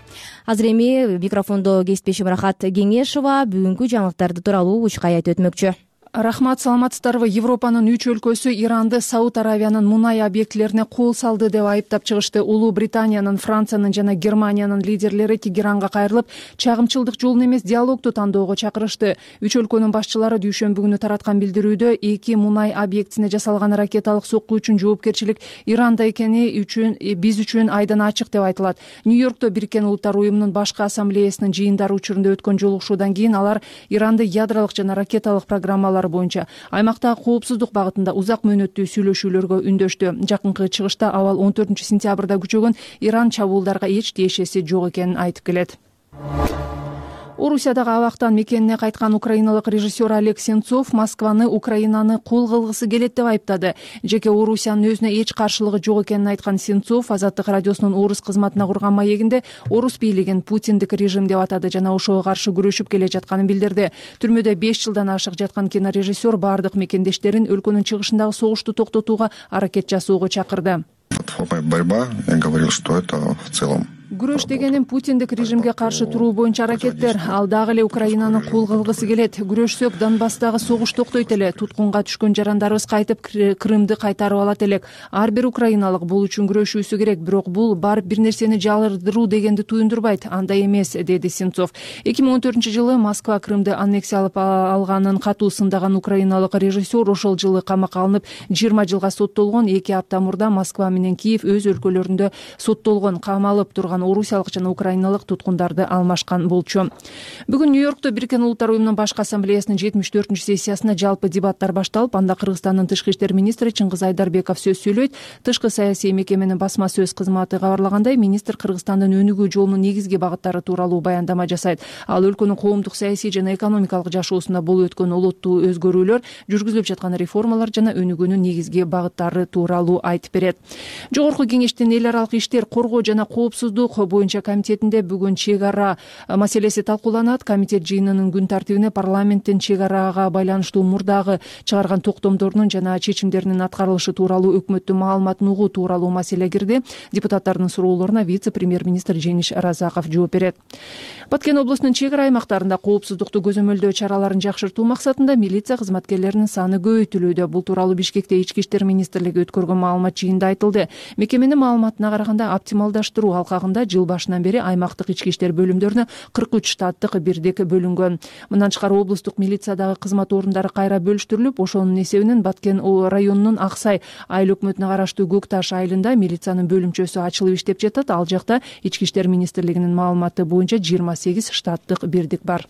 Азыр эми микрофондо кесиптешим Рахат Кеңешова бүгүнкү жаңылыктарды тууралуу учкай айтып өтмөкчү. Рахмат, саламатсыздарбы. Европанын үч өлкөсү Иранды Сауд Аравиянын мунай объектилерине кол салды деп айыптап чыгышты. Улуу Британиянын, Франциянын жана Германиянын лидерлери Тегеранга кайрылып, чагымчылдык жолун эмес, диалогду тандоого чакырышты. Үч өлкөнүн башчылары дүйшөмбү күнү тараткан билдирүүдө эки мунай объектисине жасалган ракеталык сокку үчүн жоопкерчилик Иранда экени үчүн биз үчүн айдан ачык деп айтылат. Нью-Йоркто Бириккен Улуттар уюмунун башкы ассамблеясынын жыйындары учурунда өткөн жолугушуудан кийин алар Иранды ядролук жана ракеталык программалар боюнча аймактагы коопсуздук багытында узак мөөнөттүү сүйлөшүүлөргө үндөштү. Жакынкы чыгышта абал он төртүнчү сентябрда күчөгөн Иран чабуулдарга эч тиешеси жок экенин айтып келет. Орусиядагы абактан мекенине кайткан украиналык режиссер Олег Сенцов Москваны, Украинаны кул кылгысы келет деп айыптады. Жеке Орусиянын өзүнө эч каршылыгы жок экенин айткан Сенцов Азаттык радиосунун орус кызматына курган маегинде орус бийлигин Путиндик режим деп атады жана ошого каршы күрөшүп келе жатканын билдирди. Түрмөдө беш жылдан ашык жаткан кинорежиссер бардык мекендештерин өлкөнүн чыгышындагы согушту токтотууга аракет жасоого чакырды. Борьба, я говорил, что это в целом Күрөш дегеним Путиндик режимге каршы туруу боюнча аракеттер. Ал дагы эле Украинаны кул кылгысы келет. Күрөшсөк Донбасстагы согуш токтойт эле. Туткунга түшкөн жарандарыбыз кайтып Крымды кайтарып алат элек. Ар бир украиналык бул үчүн күрөшүүсү керек, бирок бул барып бир нерсени жалырдыруу дегенди туюндурбайт. Андай эмес, деди Сенцов. эки миң он төртүнчү жылы Москва Крымды аннексиялап алганын катуу сындаган украиналык режиссер ошол жылы камакка алынып жыйырма жылга соттолгон. эки апта мурда Москва менен Киев өз өлкөлөрүндө соттолгон, камалып турган орусиялык жана украиналык туткундарды алмашкан болчу. Бүгүн Нью-Йоркто Бириккен Улуттар уюмунун башкы ассамблеясынын жетимиш төртүнчү сессиясында жалпы дебаттар башталып, анда Кыргызстандын тышкы иштер министри Чыңгыз Айдарбеков сөз сөйлөйт. Тышкы саясий мекеменин басма сөз кызматы кабарлагандай, министр Кыргызстандын өнүгүү жолунун негизги багыттары тууралуу баяндама жасайт. Ал өлкөнүн коомдук, саясий жана экономикалык жашоосунда болуп өткөн олоттуу өзгөрүүлөр, жүргүзүлүп жаткан реформалар жана өнүгүүнүн негизги багыттары тууралуу айтып берет. Жогорку кеңештин эл аралык иштер, коргоо жана коопсуздук боюнча комитетинде бүгүн чек ара маселеси талкууланат. Комитет жыйынынын күн тартибине парламенттин чек арага байланыштуу мурдагы чыгарган токтомдорунун жана чечимдеринин аткарылышы тууралуу өкмөттүн маалыматын угуу тууралуу маселе кирди. Депутаттардын суроолоруна вице-премьер-министр Жениш Разаков жооп берет. Баткен облусунун чек ара аймактарында коопсуздукту көзөмөлдөө чараларын жакшыртуу максатында милиция кызматкерлеринин саны көбөйтүлүүдө. Бул тууралуу Бишкекте Ички иштер министрлиги өткөргөн маалымат жыйынында айтылды. Мекеменин маалыматына караганда оптималдаштыруу алкагында жыл башынан бери аймактык ички иштер бөлүмдөрүнө кырк үч штаттык бирдик бөлүнгөн. Мындан тышкары облустук милициядагы кызмат орундары кайра бөлүштүрүлүп, ошонун эсебинен Баткен районунун Аксай айыл өкмөтүнө караштуу Көк Таш айылында милициянын бөлүмчөсү ачылып иштеп жатат. Ал жакта Ички иштер министрлигинин маалыматы боюнча жыйырма сегиз штаттык бирдик бар.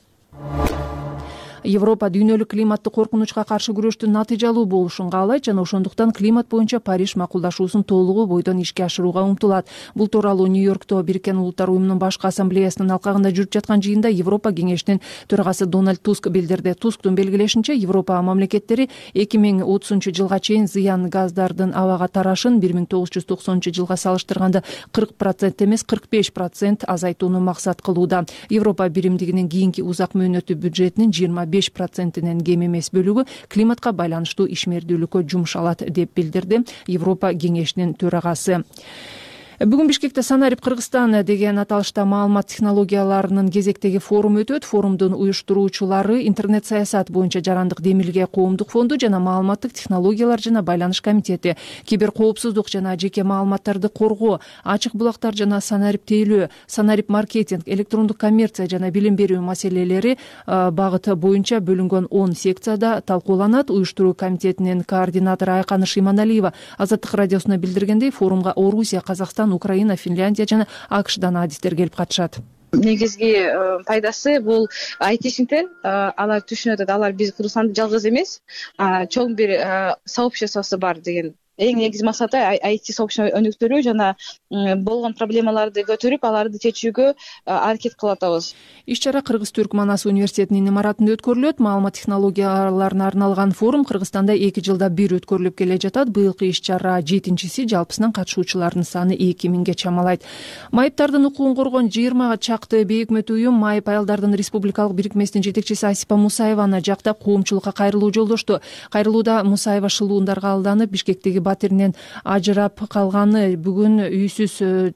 Европа дүйнөлүк климаттык коркунучка каршы күрөштүн натыйжалуу болушун каалайт жана ошондуктан климат боюнча Париж макулдашуусун толугу бойдон ишке ашырууга умтулат. Бул тууралуу Нью-Йоркто Бириккен Улуттар уюмунун башкы ассамблеясынын алкагында жүрүп жаткан жыйында Европа кеңешинин төрагасы Дональд Туск билдирди. Тусктун белгилешинче, Европа мамлекеттери эки миң отузунчу жылга чейин зыян газдардын абага тарашын бир миң тогуз жүз токсонунчу жылга салыштырганда кырк процент эмес кырк беш процент азайтууну максат кылууда. Европа биримдигинин кийинки узак мөөнөттүү бюджетинин жыйырма беш процентинен кем эмес бөлүгү климатка байланыштуу ишмердүүлүккө жумшалат деп билдирди Европа кеңешинин төрагасы. Бүгүн Бишкекте Санарип Кыргызстан деген аталышта маалымат технологияларынын кезектеги форум өтөт. Форумдун уюштуруучулары интернет саясат боюнча жарандык демилге коомдук фонду жана маалыматтык технологиялар жана байланыш комитети, киберкоопсуздук жана жеке маалыматтарды коргоо, ачык булактар жана санарип тейлөө, санарип маркетинг, электрондук коммерция жана билим берүү маселелери багыт боюнча бөлүнгөн он секцияда талкууланат. Уюштуруу комитетинин координатору Айканы Шиманалиева Азаттык радиосуна билдиргендей, форумга Орусия, Казакстан, Украина, Финляндия жана АКШдан адистер келип катышат. Негизги пайдасы бул айтишниктер, алар түшүнүп атат, алар биз Кыргызстанда жалгыз эмес, чоң бир сообществосу бар деген. Эң негизги максаты ай ти сообщество өнүктүрүү жана болгон проблемаларды көтөрүп, аларды чечүүгө аракет кылып атабыз. Иш-чара Кыргыз-Түрк Манас университетинин имаратында өткөрүлөт. Маалымат технологияларына арналган форум Кыргызстанда эки жылда бир өткөрүлүп келе жатат. Быйылкы иш-чара жетинчиси, жалпысынан катышуучулардын саны эки миңге чамалайт. Майыптардын укугун коргон жыйырмага чакты бейөкмөт уюм Майып аялдардын республикалык бирикмесинин жетекчиси Асипа Мусаеваны жактап коомчулукка кайрылуу жолдошту. Кайрылууда Мусаева шылуундарга алданып, Бишкектеги батиринен ажырап калганы, бүгүн үйсүз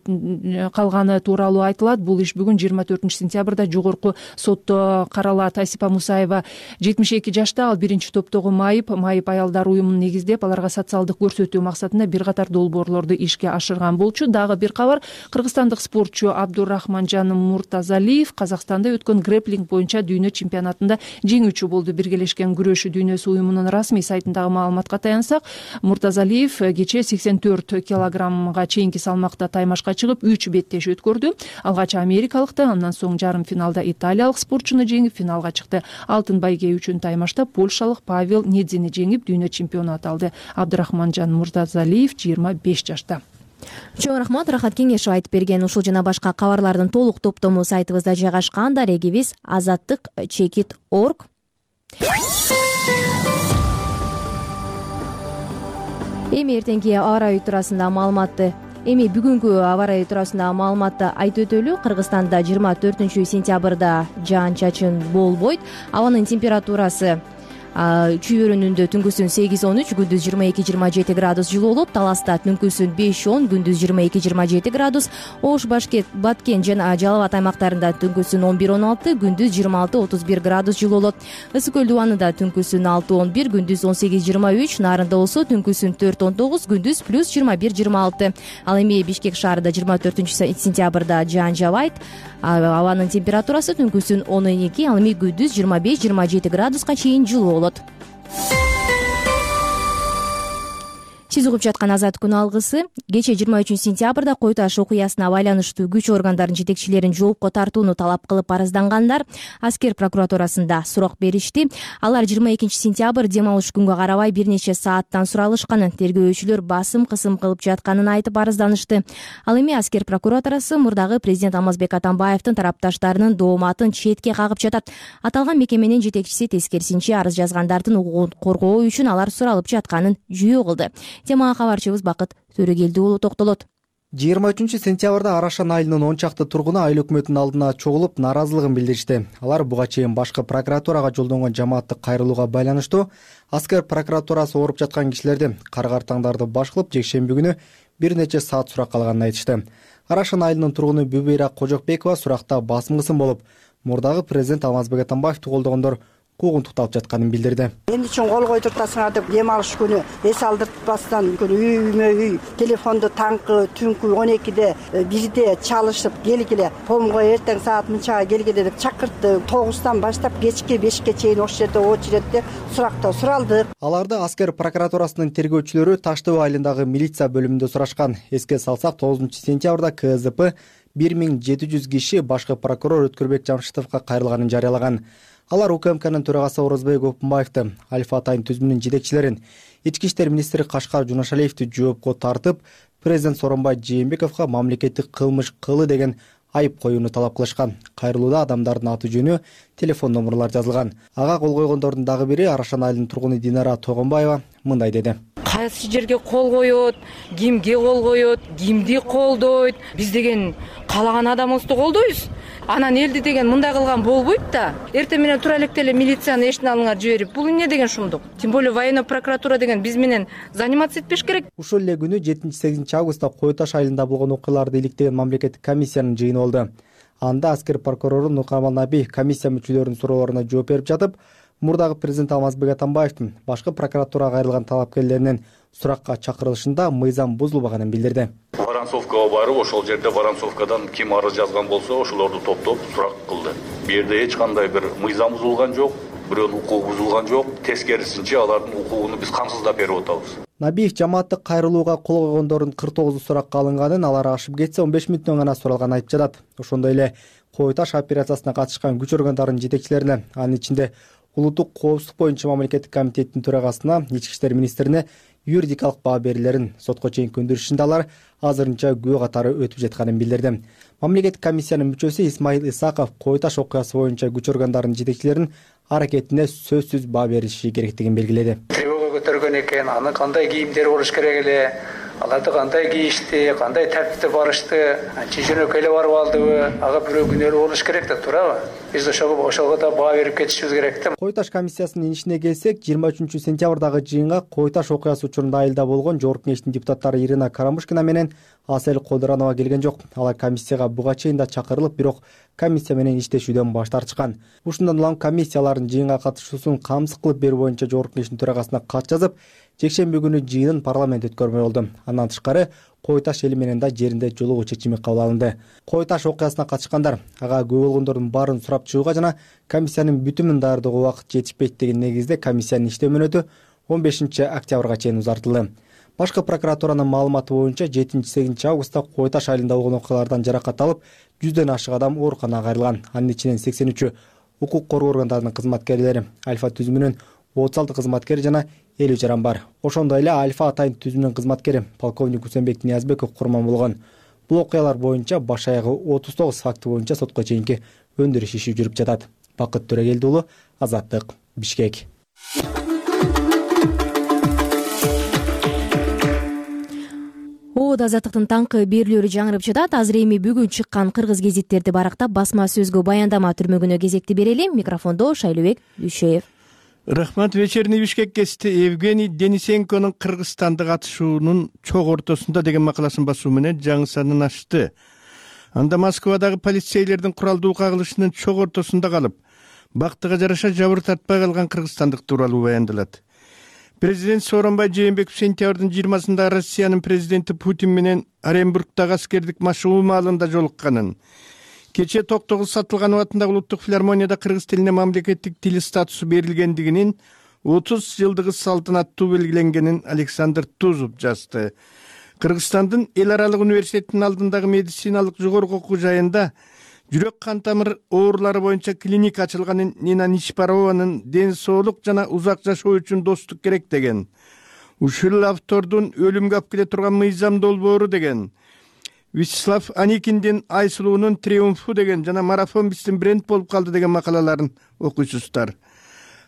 калганы тууралуу айтылат. Бул иш бүгүн жыйырма төртүнчү сентябрда жогорку сотто каралат. Асипа Мусаева жетимиш эки жашта, ал биринчи топтогу Майып Майып аялдар уюмун негиздеп, аларга социалдык көрсөтүү максатында бир катар долбоорлорду ишке ашырган болчу. Дагы бир кабар, кыргызстандык спортчу Абдурахманжан Муртазалиев Казакстанда өткөн грэплинг боюнча дүйнө чемпионатында жеңүүчү болду. Биргелешкен күрөш дүйнөсү уюмунун расмий сайтындагы маалыматка таянсак, Муртазалиев кечээ сексен төрт килограммга чейинки салмакта таймашка чыгып үч беттеш өткөрдү. Алгач америкалыкты, андан соң жарым финалда италиялык спортчуну жеңип финалга чыкты. Алтын байге үчүн таймашта польшалык Павел Недзини жеңип дүйнө чемпионатты алды. Абдурахманжан Муртазалиев жыйырма беш жашта. Чоң рахмат, Рахат Кеңешев айтып берген. Ушул жана башка кабарлардын толук топтому сайтыбызда жайгашкан. Дарегибиз азаттык чекит точка орг. Эми эртеңки аба ырайы туурасында маалыматты Эми бүгүнкү аба ырайы туурасында маалыматты айтып өтөлү. Кыргызстанда жыйырма төртүнчү сентябрда жаан-чачын болбойт. Абанын температурасы Чүйөрүнүндө түнкүсүн сегиз он үч, күндүз жыйырма эки жыйырма жети градус жылуу болот. Таласта түнкүсүн беш он, күндүз жыйырма эки жыйырма жети градус. Ош, Башкент, Баткен жана Жалал Абад аймактарында түнкүсүн он бир он алты, күндүз жыйырма алты отуз бир градус жылуу болот. Ысык көл дубанында түнкүсүн алты он бир, күндүз он сегиз жыйырма үч, Нарында болсо түнкүсүн төрт он тогуз, күндүз плюс жыйырма бир жыйырма алты. Ал эми Бишкек шаарында жыйырма төртүнчү сентябрда жаан жабайт. Абанын температурасы түнкүсүн он эки, ал эми күндүз жыйырма беш жыйырма жети градуска чейин жылуу болот. Сиз угуп жаткан Азат күн алгысы. Кечээ жыйырма үчүнчү сентябрда Кой Таш окуясына байланыштуу күч органдарынын жетекчилерин жоопко тартууну талап кылып арыздангандар аскер прокуратурасында сурак беришти. Алар жыйырма экинчи сентябрь дем алыш күнгө карабай бир нече сааттан суралышканын, тергөөчүлөр басым кысым кылып жатканын айтып арызданышты. Ал эми аскер прокуратурасы мурдагы президент Алмазбек Атамбаевдин тарапташтарынын дооматын четке кагып жатат. Аталган мекеменин жетекчиси тескерисинче арыз жазгандардын укугун коргоо үчүн алар суралып жатканын жүйө кылды. Темага кабарчыбыз Бакыт Төрөгелди уулу токтолот. жыйырма үчүнчү сентябрда Арашан айылынын он чакты тургуну айыл өкмөтүнүн алдына чогулуп нааразылыгын билдиришти. Алар буга чейин башкы прокуратурага жолдонгон жамааттык кайрылууга байланыштуу аскер прокуратурасы ооруп жаткан кишилерди кар картаңдарды баш кылып жекшемби күнү бир нече саат суракка алганын айтышты. Арашан айылынын тургуну Бүбөйра Кожокбекова суракта басым кысым болуп, мурдагы президент Алмазбек Атамбаевди колдогондор куугунтукталып жатканын билдирди. Эмне үчүн кол койдуртасыңар деп дем алыш күнү эс алдыртпастан үймө үй телефонду таңкы түнкү он экиде бирде чалышып келгиле, помго эртең саат мынчага келгиле деп чакыртты. тогуздан баштап кечки бешке чейин ошол жерде очередде суракта суралдык. Аларды аскер прокуратурасынын тергөөчүлөрү Таш Төбө айылындагы милиция бөлүмүндө сурашкан. Эске салсак, тогузунчу сентябрда КЗП бир миң жети жүз киши башкы прокурор Өткөрбек Жамшитовго кайрылганын жарыялаган. Алар УКМКнын төрагасы Орозбек Опунбаевди, Альфа Атайын түзүмүнүн жетекчилерин, Ички иштер министри Кашкар Жунашалиевди жоопко тартып, президент Сооронбай Жээнбековго мамлекеттик кылмыш кылы деген айып коюуну талап кылышкан. Кайрылууда адамдардын аты жөнү, телефон номерлары жазылган. Ага кол койгондордун дагы бири Арашан айылынын тургуну Динара Тогонбаева мындай деди. Кайсы жерге кол коет, кимге кол коет, кимди колдойт? Биз деген каалаган адамыбызды колдойбуз. Анан элди деген мындай кылган болбойт да. Эртең менен тура электе эле милицияны эшиктин алдыңа жиберип, бул эмне деген шумдук? Тем более военный прокуратура деген биз менен заниматься этпеш керек. Ушул эле күнү жетинчи сегизинчи августта Кой Таш айылында болгон окуяларды иликтеген мамлекеттик комиссиянын жыйыны болду. Анда аскер прокурору Нуркамал Наби комиссия мүчөлөрүнүн суроолоруна жооп берип жатып, мурдагы президент Алмазбек Атамбаевдин башкы прокуратурага кайрылган талапкерлеринин суракка чакырылышында мыйзам бузулбаганын билдирди. Воронцовкага барып, ошол жерде Воронцовкадан ким арыз жазган болсо, ошолорду топтоп сурак кылды. Бу жерде эч кандай бир мыйзам бузулган жок, бирөөнүн укугу бузулган жок. Тескерисинче алардын укугуну биз камсыздап берип атабыз. Набиев жамааттык кайрылууга кол койгондордун кырк тогузу суракка алынганын, алар ашып кетсе он беш мүнөттөн гана суралганын айтып жатат. Ошондой эле Кой Таш операциясына катышкан күч органдарынын жетекчилерине, анын ичинде улуттук коопсуздук боюнча мамлекеттик комитеттин төрагасына, Ички иштер министрине юридикалык баа берүүлөрүн сотко чейин көндүрүшүндө алар азырынча күбө катары өтүп жатканын билдирди. Мамлекеттик комиссиянын мүчөсү Исмаил Исаков Кой Таш окуясы боюнча күч органдарынын жетекчилеринин аракетине сөзсүз баа бериши керектигин белгиледи. Тревога көтөргөн экен, аны кандай кийимдер болуш керек эле, аларды кандай кийишти, кандай тартипте барышты, анча жөнөкөй эле барып алдыбы, ага бирөө күнөөлүү болуш керек да, туурабы? Биз ошого ошого да баа берип кетишибиз керек да. Кой Таш комиссиясынын ишине келсек, жыйырма үчүнчү сентябрдагы жыйынга Кой Таш окуясы учурунда айылда болгон жогорку кеңештин депутаттары Ирина Карамушкина менен Асель Колдуранова келген жок. Алар комиссияга буга чейин да чакырылып, бирок комиссия менен иштешүүдөн баш тартышкан. Ушундан улам комиссиялардын жыйынга катышуусун камсыз кылып берүү боюнча жогорку кеңештин төрагасына кат жазып, жекшемби күнү жыйынын парламент өткөрмөй болду. Андан тышкары Кой Таш эли менен да жеринде жолугуу чечими кабыл алынды. Кой Таш окуясына катышкандар ага күбө болгондордун баарын сурап чыгууга жана комиссиянын бүтүмүн даярдоого убакыт жетишпейт деген негизде комиссиянын иштөө мөөнөтү он бешинчи октябрга чейин узартылды. Башкы прокуратуранын маалыматы боюнча жетинчи сегизинчи августта Кой Таш айылында болгон окуялардан жаракат алып, жүздөн ашык адам ооруканага кайрылган. Анын ичинен сексен үчү укук коргоо органдарынын кызматкерлери, Альфа түзүмүнүн отуз алты кызматкери жана элүү жаран бар. Ошондой эле Альфа Атайын түзүмүнүн кызматкери полковник Усенбек Ниязбеков курман болгон. Бул окуялар боюнча баш аягы отуз тогуз факты боюнча сотко чейинки өндүрүш иши жүрүп жатат. Бакыт Төрөгелди уулу, Азаттык, Бишкек. Оот Азаттыктын таңкы берүүлөрү жаңырып жатат. Азыр эми бүгүн чыккан кыргыз гезиттерди барактап, басма сөзгө баяндама түрмөгүнө кезекти берели. Микрофондо Шайлыбек Дүйшөев. Рахмат. Вечерний Бишкек гезити Евгений Денисенконун Кыргызстанда катышуунун чок ортосунда деген макаласын басуу менен жаңы санын ачты. Анда Москвадагы полицейлердин куралдуу кагылышынын чок ортосунда калып, бактыга жараша жабыр тартпай калган кыргызстандык тууралуу баяндалат. Президент Сооронбай Жээнбеков сентябрдын жыйырмасында Россиянын президенти Путин менен Оренбургдагы аскердик машыгуу маалында жолукканын, кечээ Токтогул Сатылганов атындагы улуттук филармонияда кыргыз тилине мамлекеттик тил статусу берилгендигинин отуз жылдыгы салтанаттуу белгиленгенин Александр Тузов жазды. Кыргызстандын эл аралык университетинин алдындагы медициналык жогорку окуу жайында жүрөк кан тамыр оорулары боюнча клиника ачылганын, Нина Нишпарованын ден соолук жана узак жашоо үчүн достук керек деген, ушул автордун өлүмгө алып келе турган мыйзам долбоору деген, Вячеслав Аникиндин Айсулуунун триумфу деген жана марафон биздин бренд болуп калды деген макалаларын окуйсуздар.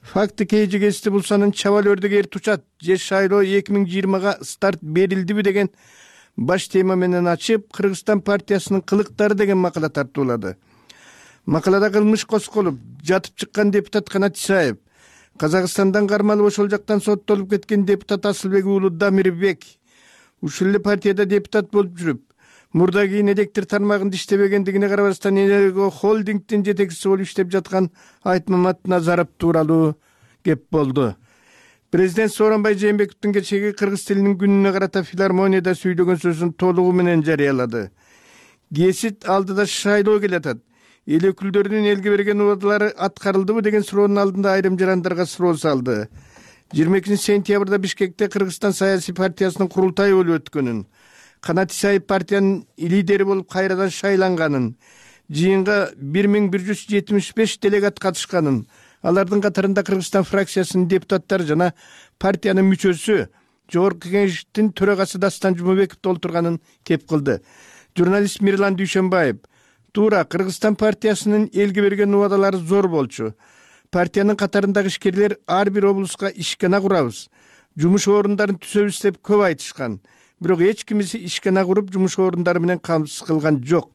Факты кейжи гезити булсанын чабал өрдөгө эр тучат, же шайлоо эки миң жыйырмага старт берилдиби деген баш тема менен ачып, Кыргызстан партиясынын кылыктары деген макала тартуулады. Макалада кылмыш косколуп, жатып чыккан депутат Канат Исаев, Казакстандан кармалып ошол жактан соттолуп кеткен депутат Асылбек уулу Дамирбек, ушул эле партияда депутат болуп жүрүп, мурда кийин электр тармагында иштебегендигине карабастан Энерго холдингдин жетекчиси болуп иштеп жаткан Айтмамат Назаров тууралуу кеп болду. Президент Сооронбай Жээнбековдун кечеги кыргыз тилинин күнүнө карата филармонияда сүйлөгөн сөзүн толугу менен жарыялады. Гезит алдыда шайлоо келатат. Эл өкүлдөрүнүн элге берген убадалары аткарылдыбы деген суроонун алдында айрым жарандарга суроо салды. жыйырма экинчи сентябрда Бишкекте Кыргызстан саясий партиясынын курултайы болуп өткөнүн, Канат Исаев партиянын лидери болуп кайрадан шайланганын, жыйынга бир миң бир жүз жетимиш беш делегат катышканын, алардын катарында Кыргызстан фракциясынын депутаттары жана партиянын мүчөсү, Жогорку Кеңештин төрагасы Дастан Жумабековду олтурганын кеп кылды. Журналист Мирлан Дүйшөнбаев: туура, Кыргызстан партиясынын элге берген убадалары зор болчу. Партиянын катарындагы ишкерлер ар бир облуска ишкана курабыз, жумуш орундарын түзөбүз деп көп айтышкан. Бирок эч кимиси ишкана куруп жумуш орундары менен камсыз кылган жок.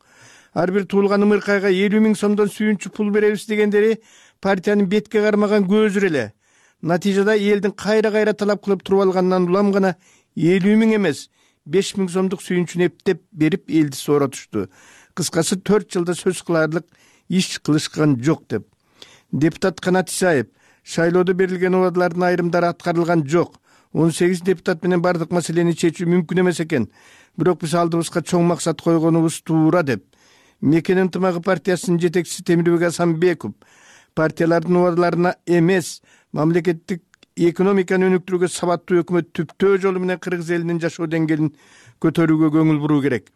Ар бир туулган ымыркайга элүү миң сомдон сүйүнчү пул беребиз дегендери партиянын бетке кармаган көзүр эле. Натыйжада элдин кайра-кайра талап кылып туруп алганынан улам гана элүү миң эмес, беш миң сомдук сүйүнчүнү эптеп берип элди сооротушту. Кыскасы төрт жылда сөз кыларлык иш кылышкан жок деп. Депутат Канат Исаев: шайлоодо берилген убадалардын айрымдары аткарылган жок. он сегиз депутат менен бардык маселени чечүү мүмкүн эмес экен. Бирок биз алдыбызга чоң максат койгонубуз туура деп. Мекен ынтымагы партиясынын жетекчиси Темирбек Асанбеков партиялардын убадаларына эмес, мамлекеттик экономиканы өнүктүрүүгө сабаттуу өкмөт түптөө жолу менен кыргыз элинин жашоо деңгээлин көтөрүүгө көңүл буруу керек.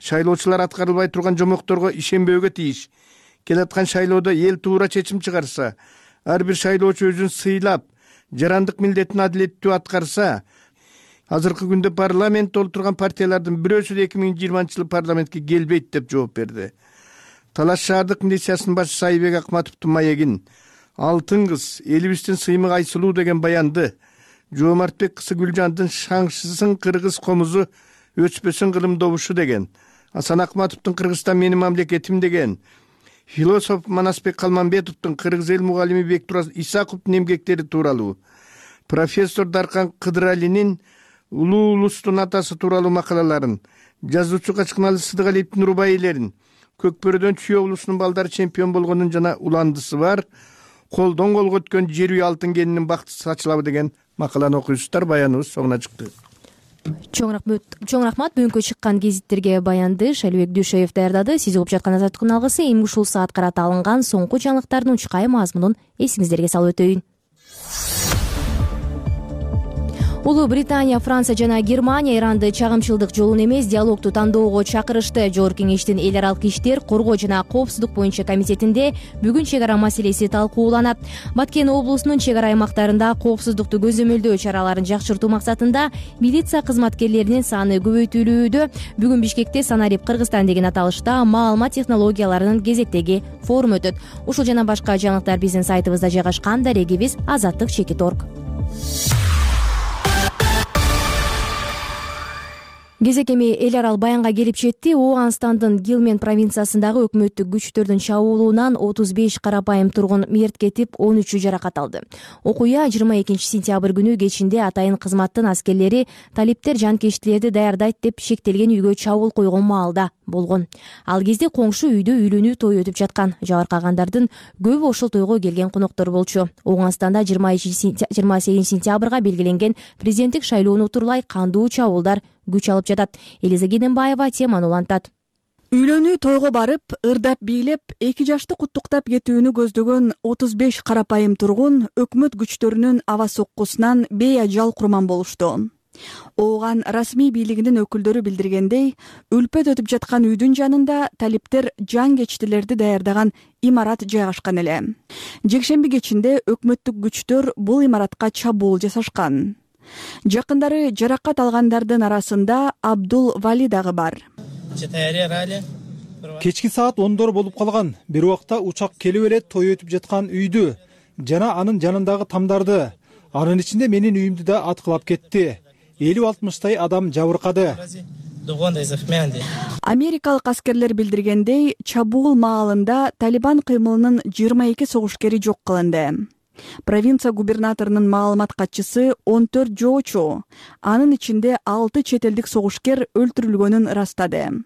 Шайлоочулар аткарылбай турган жомокторго ишенбөөгө тийиш. Келаткан шайлоодо эл туура чечим чыгарса, ар бир шайлоочу өзүн сыйлап, жарандык милдетин адилеттүү аткарса, азыркы күндө парламентте олтурган партиялардын бирөөсү да эки миң жыйырманчы жылы парламентке келбейт деп жооп берди. Талаш шаардык милициясынын башчысы Айбек Акматовдун маегин, алтын кыз, элибиздин сыймык Айсулуу деген баянды, Жоомартбек кызы Гүлжандын шаңшысын кыргыз комузу өчпөсүн кылым добушу деген, Асан Акматовдун Кыргызстан менин мамлекетим деген, философ Манасбек Калманбетовдун кыргыз эл мугалими Бектураз Исаковдун эмгектери тууралуу, профессор Даркан Кыдыралинин улуу улустун атасы тууралуу макалаларын, жазуучу Качкыналы Сыдыгалиевдин рубаилерин, Көкбөрөдөн Чүй облусунун балдары чемпион болгонун жана уландысы бар, колдон колго өткөн жер үй алтын кенинин бакты сачылабы деген макаланы окуйсуздар. Баяныбыз соңуна чыкты. Чоң рахмат, чоң рахмат. Бүгүнкү чыккан гезиттерге баянды Шалибек Дүйшөев даярдады. Сиз угуп жаткан Азаттыктын алгысы эми ушул саат карата алынган соңку жаңылыктардын учкай мазмунун эсиңиздерге салып өтөйүн. Улуу Британия, Франция жана Германия Иранды чагымчылдык жолун эмес, диалогту тандоого чакырышты. Жогорку Кеңештин эл аралык иштер, коргоо жана коопсуздук боюнча комитетинде бүгүн чек ара маселеси талкууланат. Баткен облусунун чек ара аймактарында коопсуздукту көзөмөлдөө чараларын жакшыртуу максатында милиция кызматкерлеринин саны көбөйтүлүүдө. Бүгүн Бишкекте Санарип Кыргызстан деген аталышта маалымат технологияларынын кезектеги форум өтөт. Ушул жана башка жаңылыктар биздин сайтыбызда жайгашкан. Дарегибиз азаттык чекит точка орг. Кезек эми эл аралык баянга келип жетти. Ооганстандын Гилмен провинциясындагы өкмөттүк күчтөрдүн чабуулунан отуз беш карапайым тургун мерт кетип, он үчү жаракат алды. Окуя жыйырма экинчи сентябрь күнү кечинде атайын кызматтын аскерлери талиптер жанкечтилерди даярдайт деп шектелген үйгө чабуул койгон маалда болгон. Ал кезде коңшу үйдө үйлөнүү тою өтүп жаткан. Жабыркагандардын көбү ошол тойго келген коноктор болчу. Ооганстанда жыйырма сегизинчи сентябрга белгиленген президенттик шайлоону утурлай кандуу чабуулдар күч алып жатат. Элиза Геденбаева теманы улантат. Үйлөнүү тойго барып, ырдап бийлеп, эки жашты куттуктап кетүүнү көздөгөн отуз беш карапайым тургун өкмөт күчтөрүнүн аба соккусунан бейажал курман болушту. Ооган расмий бийлигинин өкүлдөрү билдиргендей, үлпөт өтүп жаткан үйдүн жанында талиптер жан-кечтилерди даярдаган имарат жайгашкан эле. Жекшемби кечинде өкмөттүк күчтөр бул имаратка чабуул жасашкан. Жакындары жаракат алгандардын арасында Абдул Вали дагы бар. Кечки саат ондор болуп калган. Бир убакта учак келип эле той өтүп жаткан үйдү жана анын жанындагы тамдарды, анын ичинде менин үйүмдү да аткылап кетти. элүү алтымыштай адам жабыркады. Америкалык аскерлер билдиргендей, чабуул маалында Талибан кыймылынын жыйырма эки согушкери жок кылынды. Провинция губернаторунун маалымат катчысы он төрт жоочу, анын ичинде алты чет элдик согушкер өлтүрүлгөнүн ырастады.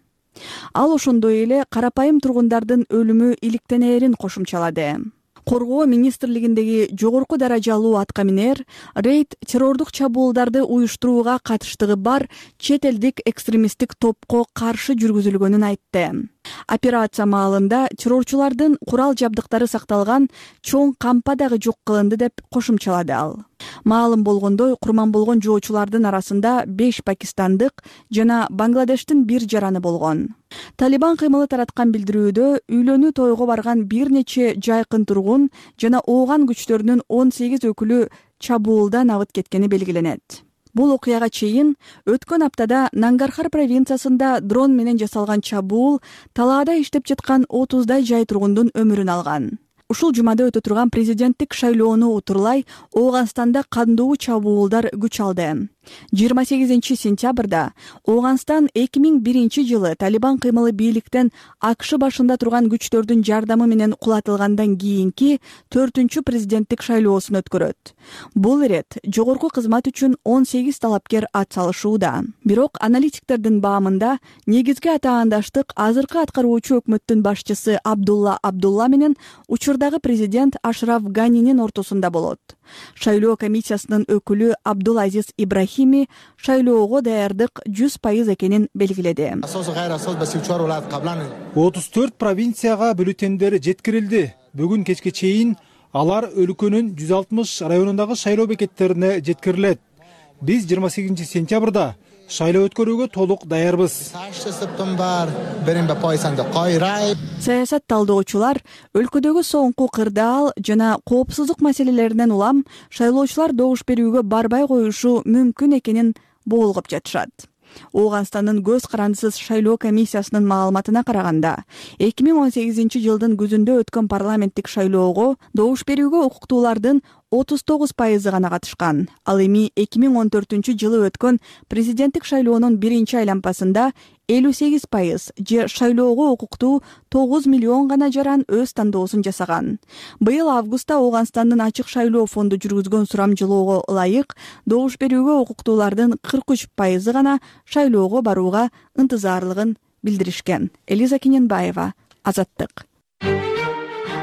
Ал ошондой эле карапайым тургундардын өлүмү иликтенээрин кошумчалады. Коргоо министрлигиндеги жогорку даражалуу аткаминер рейд террордук чабуулдарды уюштурууга катыштыгы бар чет элдик экстремисттик топко каршы жүргүзүлгөнүн айтты. Операция маалында террорчулардын курал жабдыктары сакталган чоң кампа дагы жок кылынды деп кошумчалады ал. Маалым болгондой, курман болгон жоочулардын арасында беш пакистандык жана Бангладештин бир жараны болгон. Талибан кыймылы тараткан билдирүүдө үйлөнүү тойго барган бир нече жайкын тургун жана ооган күчтөрүнүн он сегиз өкүлү чабуулдан абыт кеткени белгиленет. Бул окуяга чейин өткөн аптада Нангархар провинциясында дрон менен жасалган чабуул талаада иштеп жаткан отуздай жай тургундун өмүрүн алган. Ушул жумада өтө турган президенттик шайлоону утурлай Ооганстанда кандуу чабуулдар күч алды. жыйырма сегизинчи сентябрда Ооганстан эки миң биринчи жылы Талибан кыймылы бийликтен АКШ башында турган күчтөрдүн жардамы менен кулатылгандан кийинки төртүнчү президенттик шайлоосун өткөрөт. Бул ирет жогорку кызмат үчүн он сегиз талапкер ат салышууда. Бирок аналитиктердин баамында негизги атаандаштык азыркы аткаруучу өкмөттүн башчысы Абдулла Абдулла менен учурдагы президент Ашраф Ганинин ортосунда болот. Шайлоо комиссиясынын өкүлү Абдулазиз Ибрахими шайлоого даярдык жүз пайыз экенин белгиледи. отуз төрт провинцияга бюллетендер жеткирилди. Бүгүн кечке чейин алар өлкөнүн жүз алтымыш районундагы шайлоо бекеттерине жеткирилет. Биз жыйырма сегизинчи сентябрда шайлоо өткөрүүгө толук даярбыз. Саясат талдоочулар өлкөдөгү соңку кырдаал жана коопсуздук маселелеринен улам шайлоочулар добуш берүүгө барбай коюшу мүмкүн экенин боолгоп жатышат. Ооганстандын көз карандысыз шайлоо комиссиясынын маалыматына караганда, эки миң он сегизинчи жылдын күзүндө өткөн парламенттик шайлоого добуш берүүгө укуктуулардын отуз тогуз пайызы гана катышкан. Ал эми эки миң он төртүнчү жылы өткөн президенттик шайлоонун биринчи айланпасында элүү сегиз пайыз же шайлоого укуктуу тогуз миллион гана жаран өз тандоосун жасаган. Быйыл августта Ооганстандын ачык шайлоо фонду жүргүзгөн сурамжылоого ылайык добуш берүүгө укуктуулардын кырк үч пайызы гана шайлоого барууга ынтызарлыгын билдиришкен. Элиза Кененбаева, Азаттык.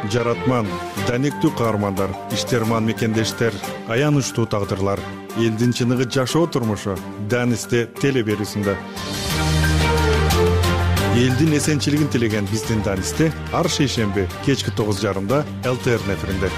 Жаратман, данектүү каармандар, иштерман мекендештер, аянычтуу тагдырлар, элдин чыныгы жашоо турмушу Данисте теле берүүсүндө. Элдин эсенчилигин тилеген биздин Данисте ар шейшемби кечки тогуз жарымда эл тэ эр эфиринде.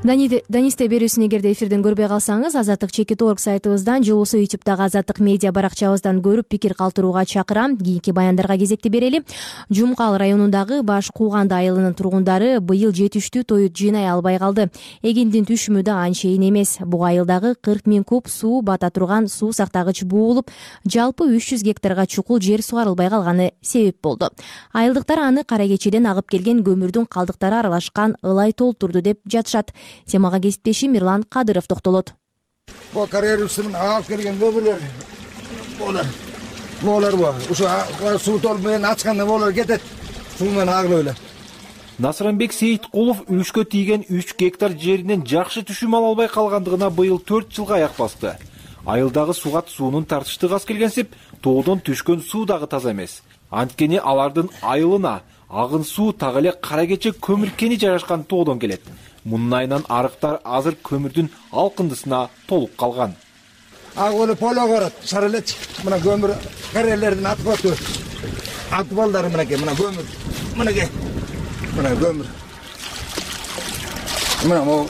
Данисте берүүсүн эгерде эфирден көрбөй калсаңыз, Азаттык чекит точка орг сайтыбыздан же болбосо ютубтагы Азаттык медиа баракчабыздан көрүп пикир калтырууга чакырам. Кийинки баяндарга кезекти берели. Жумкал районундагы Баш Кууганды айылынын тургундары быйыл жетиштүү тоют жыйнай албай калды. Эгиндин түшүмү да анчейин эмес. Бул айылдагы кырк миң куб суу бата турган суу сактагыч буулуп, жалпы үч жүз гектарга чукул жер сугарылбай калганы себеп болду. Айылдыктар аны кара кечеден агып келген көмүрдүн калдыктары аралашкан ылай толтурду деп жатышат. Темага кесиптешим Мирлан Кадыров токтолот. Бул карьерасынан агып келген көмүрлөр болор. Болор бу. Ушу суу толуп менен ачканда болор кетет. Суу менен агылып эле. Насранбек Сейиткулов үчкө тийген үч гектар жеринен жакшы түшүм ала албай калгандыгына быйыл төрт жылга аяк басты. Айылдагы сугат суунун тартыштыгы аз келгенсип, тоодон түшкөн суу дагы таза эмес. Анткени алардын айылына агын суу так эле кара кече көмүр кени жайгашкан тоодон келет. Мунун айынан арыктар азыр көмүрдүн алкындысына толуп калган. Агылы поло көрөт, шарылеч. Мына көмүр карьерлердин атып өтү. Атбалдары мынакей, мына көмүр. Мынакей. Мына көмүр. Мына могу.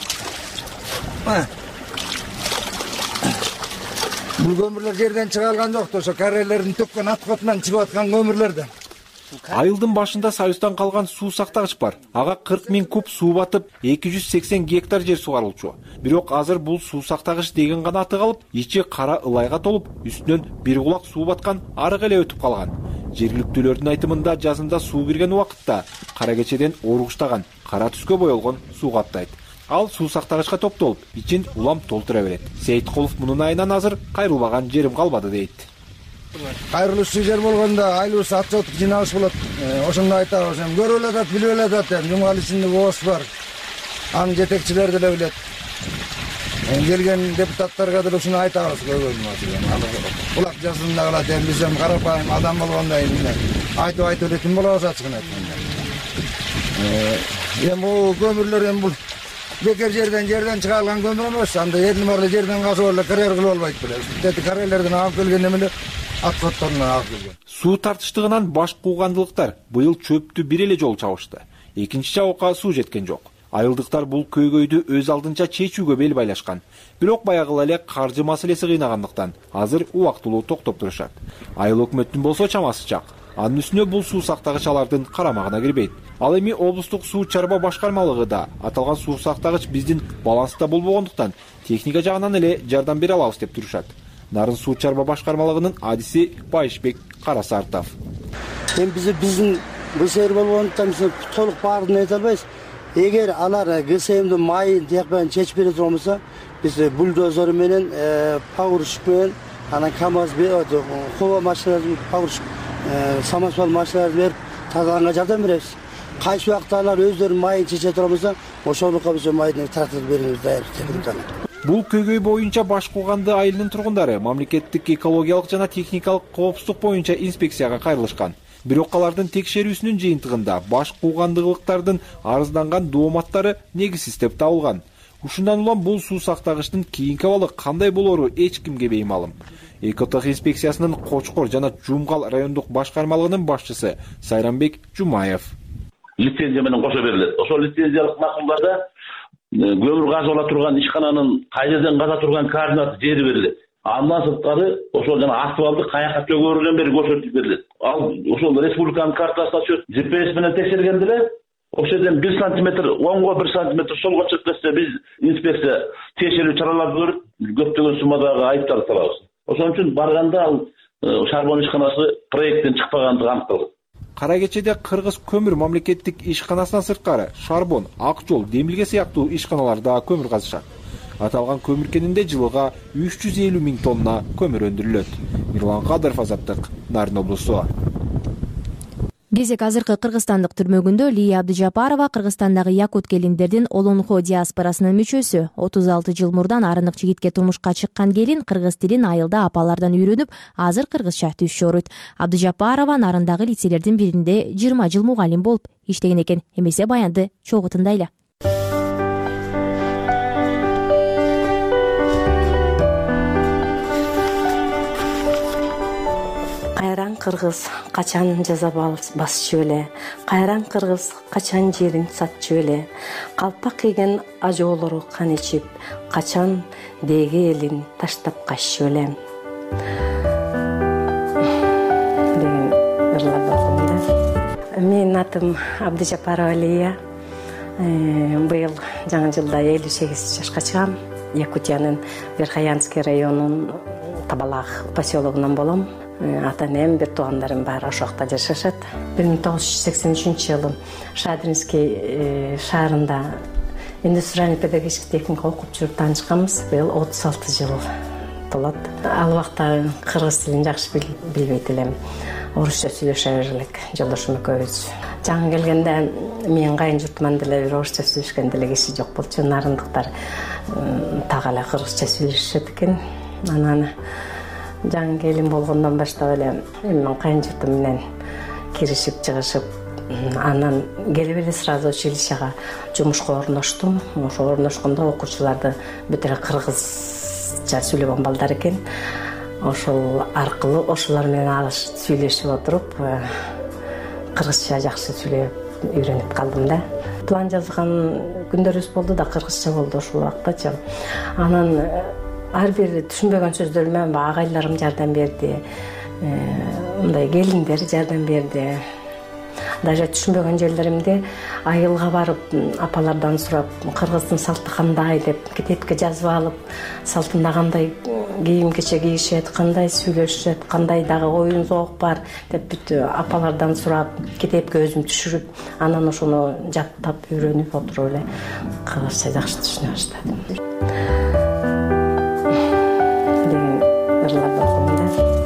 Бул көмүрлөр жерден чыга алган жок, ошо карьерлердин төккөн аткотунан чыгып аткан көмүрлөрдөн. Айылдын башында Союздан калган суу сактагыч бар. Ага кырк миң куб суу батып, эки жүз сексен гектар жер сугарылчу. Бирок азыр бул суу сактагыч деген гана аты калып, ичи кара ылайга толуп, үстүнөн бир кулак суу баткан арык эле өтүп калган. Жергиликтүүлөрдүн айтымында жазында суу кирген убакытта кара кечеден оругуштаган, кара түскө боелгон суу каптайт. Ал суу сактагычка топтолуп, ичин улам толтура берет. Сейиткулов мунун айынан азыр кайрылбаган жерим калбады дейт. Кайрылуучу жер болгондо айлыбыз атчылык жыйналыш болот. Ошондо айтабыз, эми көрүп эле атат, билип эле атат, эми жумгал ичинде бооз бар. Анын жетекчилери деле билет. Келген депутаттарга деле ушуну айтабыз көбүнчө. Кулак жазында калат, эми биз эми карапайым адам болгондо эми айтып айтып элетин болобуз ачыгын айтканда. Эми бул көмүрлөр эми бул бекер жерден жерден чыга алган көмүр эмес. Анда элдин баары жерден казып эле карьер кылып албайт беле. Тети карьерлерден агып келген эмелер отходторунан алып келген. Суу тартыштыгынан баш куугандылыктар быйыл чөптү бир эле жолу чабышты. Экинчи чабыкка суу жеткен жок. Айылдыктар бул көйгөйдү өз алдынча чечүүгө бел байлашкан. Бирок баягыла эле каржы маселеси кыйнагандыктан азыр убактылуу токтоп турушат. Айыл өкмөттүн болсо чамасы чак. Анын үстүнө бул суу сактагыч алардын карамагына кирбейт. Ал эми облустук суу чарба башкармалыгы да аталган суу сактагыч биздин баланста болбогондуктан техника жагынан эле жардам бере алабыз деп турушат. Нарын суу чарба башкармалыгынын адиси Байышбек Карасартов. Эми биз биздин ГСМ болгондуктан биз толук баарын айта албайбыз. Эгер алар ГСМдин майын тияк чечип бере турган болсо, биз бульдозер менен, погрузчик менен, анан КамАЗ, хова машиналарын, погрузчик, самосвал машиналарын берип тазаланга жардам беребиз. Кайсы убакта алар өздөрүнүн майын чече турган болсо, ошолукка биз майды тартып берүүбүз дайыр. Бул көйгөй боюнча Баш Кууганды айылынын тургундары мамлекеттик экологиялык жана техникалык коопсуздук боюнча инспекцияга кайрылышкан. Бирок алардын текшерүүсүнүн жыйынтыгында баш куугандыктардын арызданган дооматтары негизсиз деп табылган. Ушундан улам бул суу сактагычтын кийинки абалы кандай болору эч кимге беймалым. Экотех инспекциясынын Кочкор жана Жумгал райондук башкармалыгынын башчысы Сайранбек Жумаев. Лицензия менен кошо берилет. Ошол лицензиялык макулдарда көмүр газы ала турган ишкананын кай жерден каза турган координаты жери берилет. Андан сырткары ошол жана асфальтты каяка төгөрүнөн бери көрсөтүп берилет. Ал ошол республиканын картасына түшөт. джи пи эс менен текшергенде эле ошол жерден бир сантиметр оңго бир сантиметр солго чыгып кетсе биз инспекция тиешелүү чараларды көрүп көптөгөн суммадагы айыптарды салабыз. Ошон үчүн барганда ал шарбон ишканасы проекттен чыкпагандыгы аныкталды. Кара кечеде Кыргыз көмүр мамлекеттик ишканасынан сырткары Шарбон, Ак жол, Демилге сыяктуу ишканалар да көмүр казышат. Аталган көмүр кенинде жылыга үч жүз элүү миң тонна көмүр өндүрүлөт. Мирлан Кадыров, Азаттык, Нарын облусу. Кезек азыркы кыргызстандык түрмөгүндө Лия Абдыжапарова Кыргызстандагы якут келиндердин Олонхо диаспорасынын мүчөсү. отуз алты жыл мурдан арынык жигитке турмушка чыккан келин кыргыз тилин айылда апалардан үйрөнүп, азыр кыргызча түз жоруйт. Абдыжапарова Нарындагы лицейлердин биринде жыйырма жыл мугалим болуп иштеген экен. Эмесе баянды чогуу тындайлы. Кайран кыргыз качан жаза басчу эле, кайран кыргыз качан жерин сатчу эле, калпак кийген ажоолору кан ичип, качан деги элин таштап каччу эле. Деген ырлар бар. Менин атым Абдыжапарова Лия. Быйыл жаңы жылда элүү сегиз жашка чыгам. Якутиянын Верхоянский районунун Табалак поселогунан болом. Ата-энем, бир туугандарым бар, ошол жакта жашашат. бир миң тогуз жүз сексен үчүнчү жылы Шадринский шаарында индустриальный педагогический техникум окуп жүрүп таанышканбыз. Быйыл отуз алты жыл толот. Ал убакта кыргыз тилин жакшы билбейт элем. Орусча сүйлөшө бер элек жолдошум экөөбүз. Жаңы келгенде менин кайын журтуман деле бир орусча сүйлөшкөн деле киши жок болчу. Нарындыктар так эле кыргызча сүйлөшөт экен. Анан жаңы келин болгондон баштап эле менин кайын журтум менен киришип чыгышып, анан келип эле сразу училищага жумушка орноштум. Ошо орношкондо окуучуларды бүт эле кыргызча сүйлөгөн балдар экен. Ошол аркылуу ошолор менен алыш сүйлөшүп отуруп, кыргызча жакшы сүйлөп үйрөнүп калдым да. План жазган күндөрүбүз болду да, кыргызча болду ошол убактачы. Анан ар бир түшүнбөгөн сөздөрүмө агайларым жардам берди, мындай келиндер жардам берди. Даже түшүнбөгөн жерлеримде айылга барып, апалардан сурап, кыргыздын салты кандай деп китепке жазып алып, салтында кандай кийим кече кийишет, кандай сүйлөшөт, кандай дагы оюн зоок бар деп бүт апалардан сурап, китепке өзүм түшүрүп, анан ошону жаттап үйрөнүп отуруп эле кыргызча жакшы түшүнө баштадым.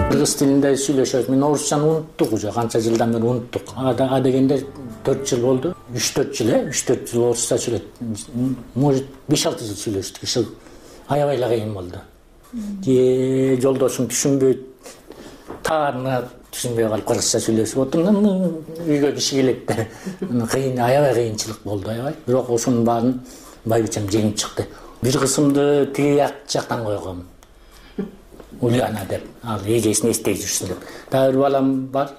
Кыргыз тилинде сүйлөшөбүз. Мен орусчаны унуттук уже, канча жылдан бери унуттук. А дегенде төрт жыл болду. үч төрт жыл, э, үч төрт жыл орусча сүйлөдүк. Может, беш алты жыл сүйлөштүк. Ошол аябай эле кыйын болду. Же жолдошум түшүнбөйт. Таарына түшүнбөй калып кыргызча сүйлөшүп отурдум. Үйгө киши келет да. Кыйын, аябай кыйынчылык болду, аябай. Бирок ошонун баарын байбичем жеңип чыкты. Бир кысымды тиги жактан койгом. Ульяна деп, ал эжесин эстей жүрсүн деп. Дагы бир балам бар,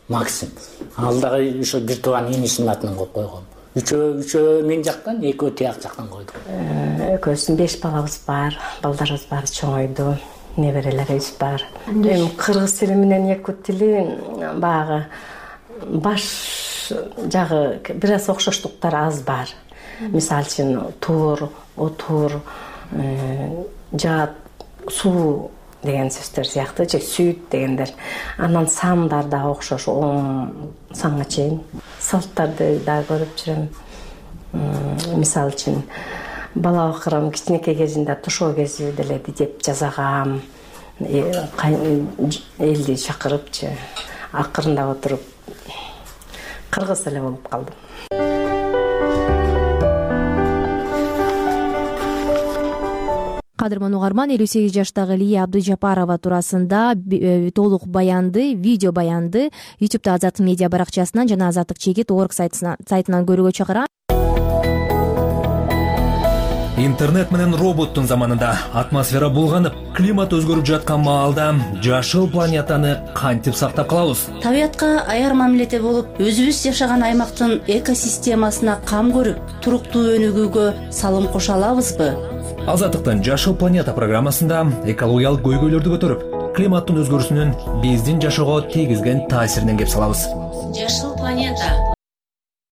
Максим. Ал дагы ошо бир тууган инисинин атынан коюп койгом. Үчөө үчөө мен жактан, экөө тияк жактан койдук. Экөөбүздүн беш балабыз бар, балдарыбыз баары чоңойду, неберелерибиз бар. Эми кыргыз тили менен якут тили баягы баш жагы бир аз окшоштуктар аз бар. Мисалы үчүн тур, отур, жаат, суу деген сөздөр сыяктуу, же сүт дегендер. Анан сандар да окшош, он санга чейин. Салттарды да көрүп жүрөм. Мисалы үчүн бала акырым кичинекей кезинде тушоо кези деле деп жасагам. Элди чакырыпчы, акырындап отуруп кыргыз эле болуп калдым. Кадырман угарман, элүү сегиз жаштагы Лия Абдыжапарова туурасында толук баянды, видео баянды ютубта Азаттык медиа баракчасынан жана азаттык чегит точка орг сайтынан көрүүгө чакырам. Интернет менен роботтун заманында атмосфера булганып, климат өзгөрүп жаткан маалда жашыл планетаны кантип сактап калабыз? Табиятка аяр мамиледе болуп, өзүбүз жашаган аймактын экосистемасына кам көрүп, туруктуу өнүгүүгө салым кошо алабызбы? Азаттыктын Жашыл планета программасында экологиялык көйгөйлөрдү көтөрүп, климаттын өзгөрүүсүнүн биздин жашоого тийгизген таасиринен кеп салабыз. Жашыл планета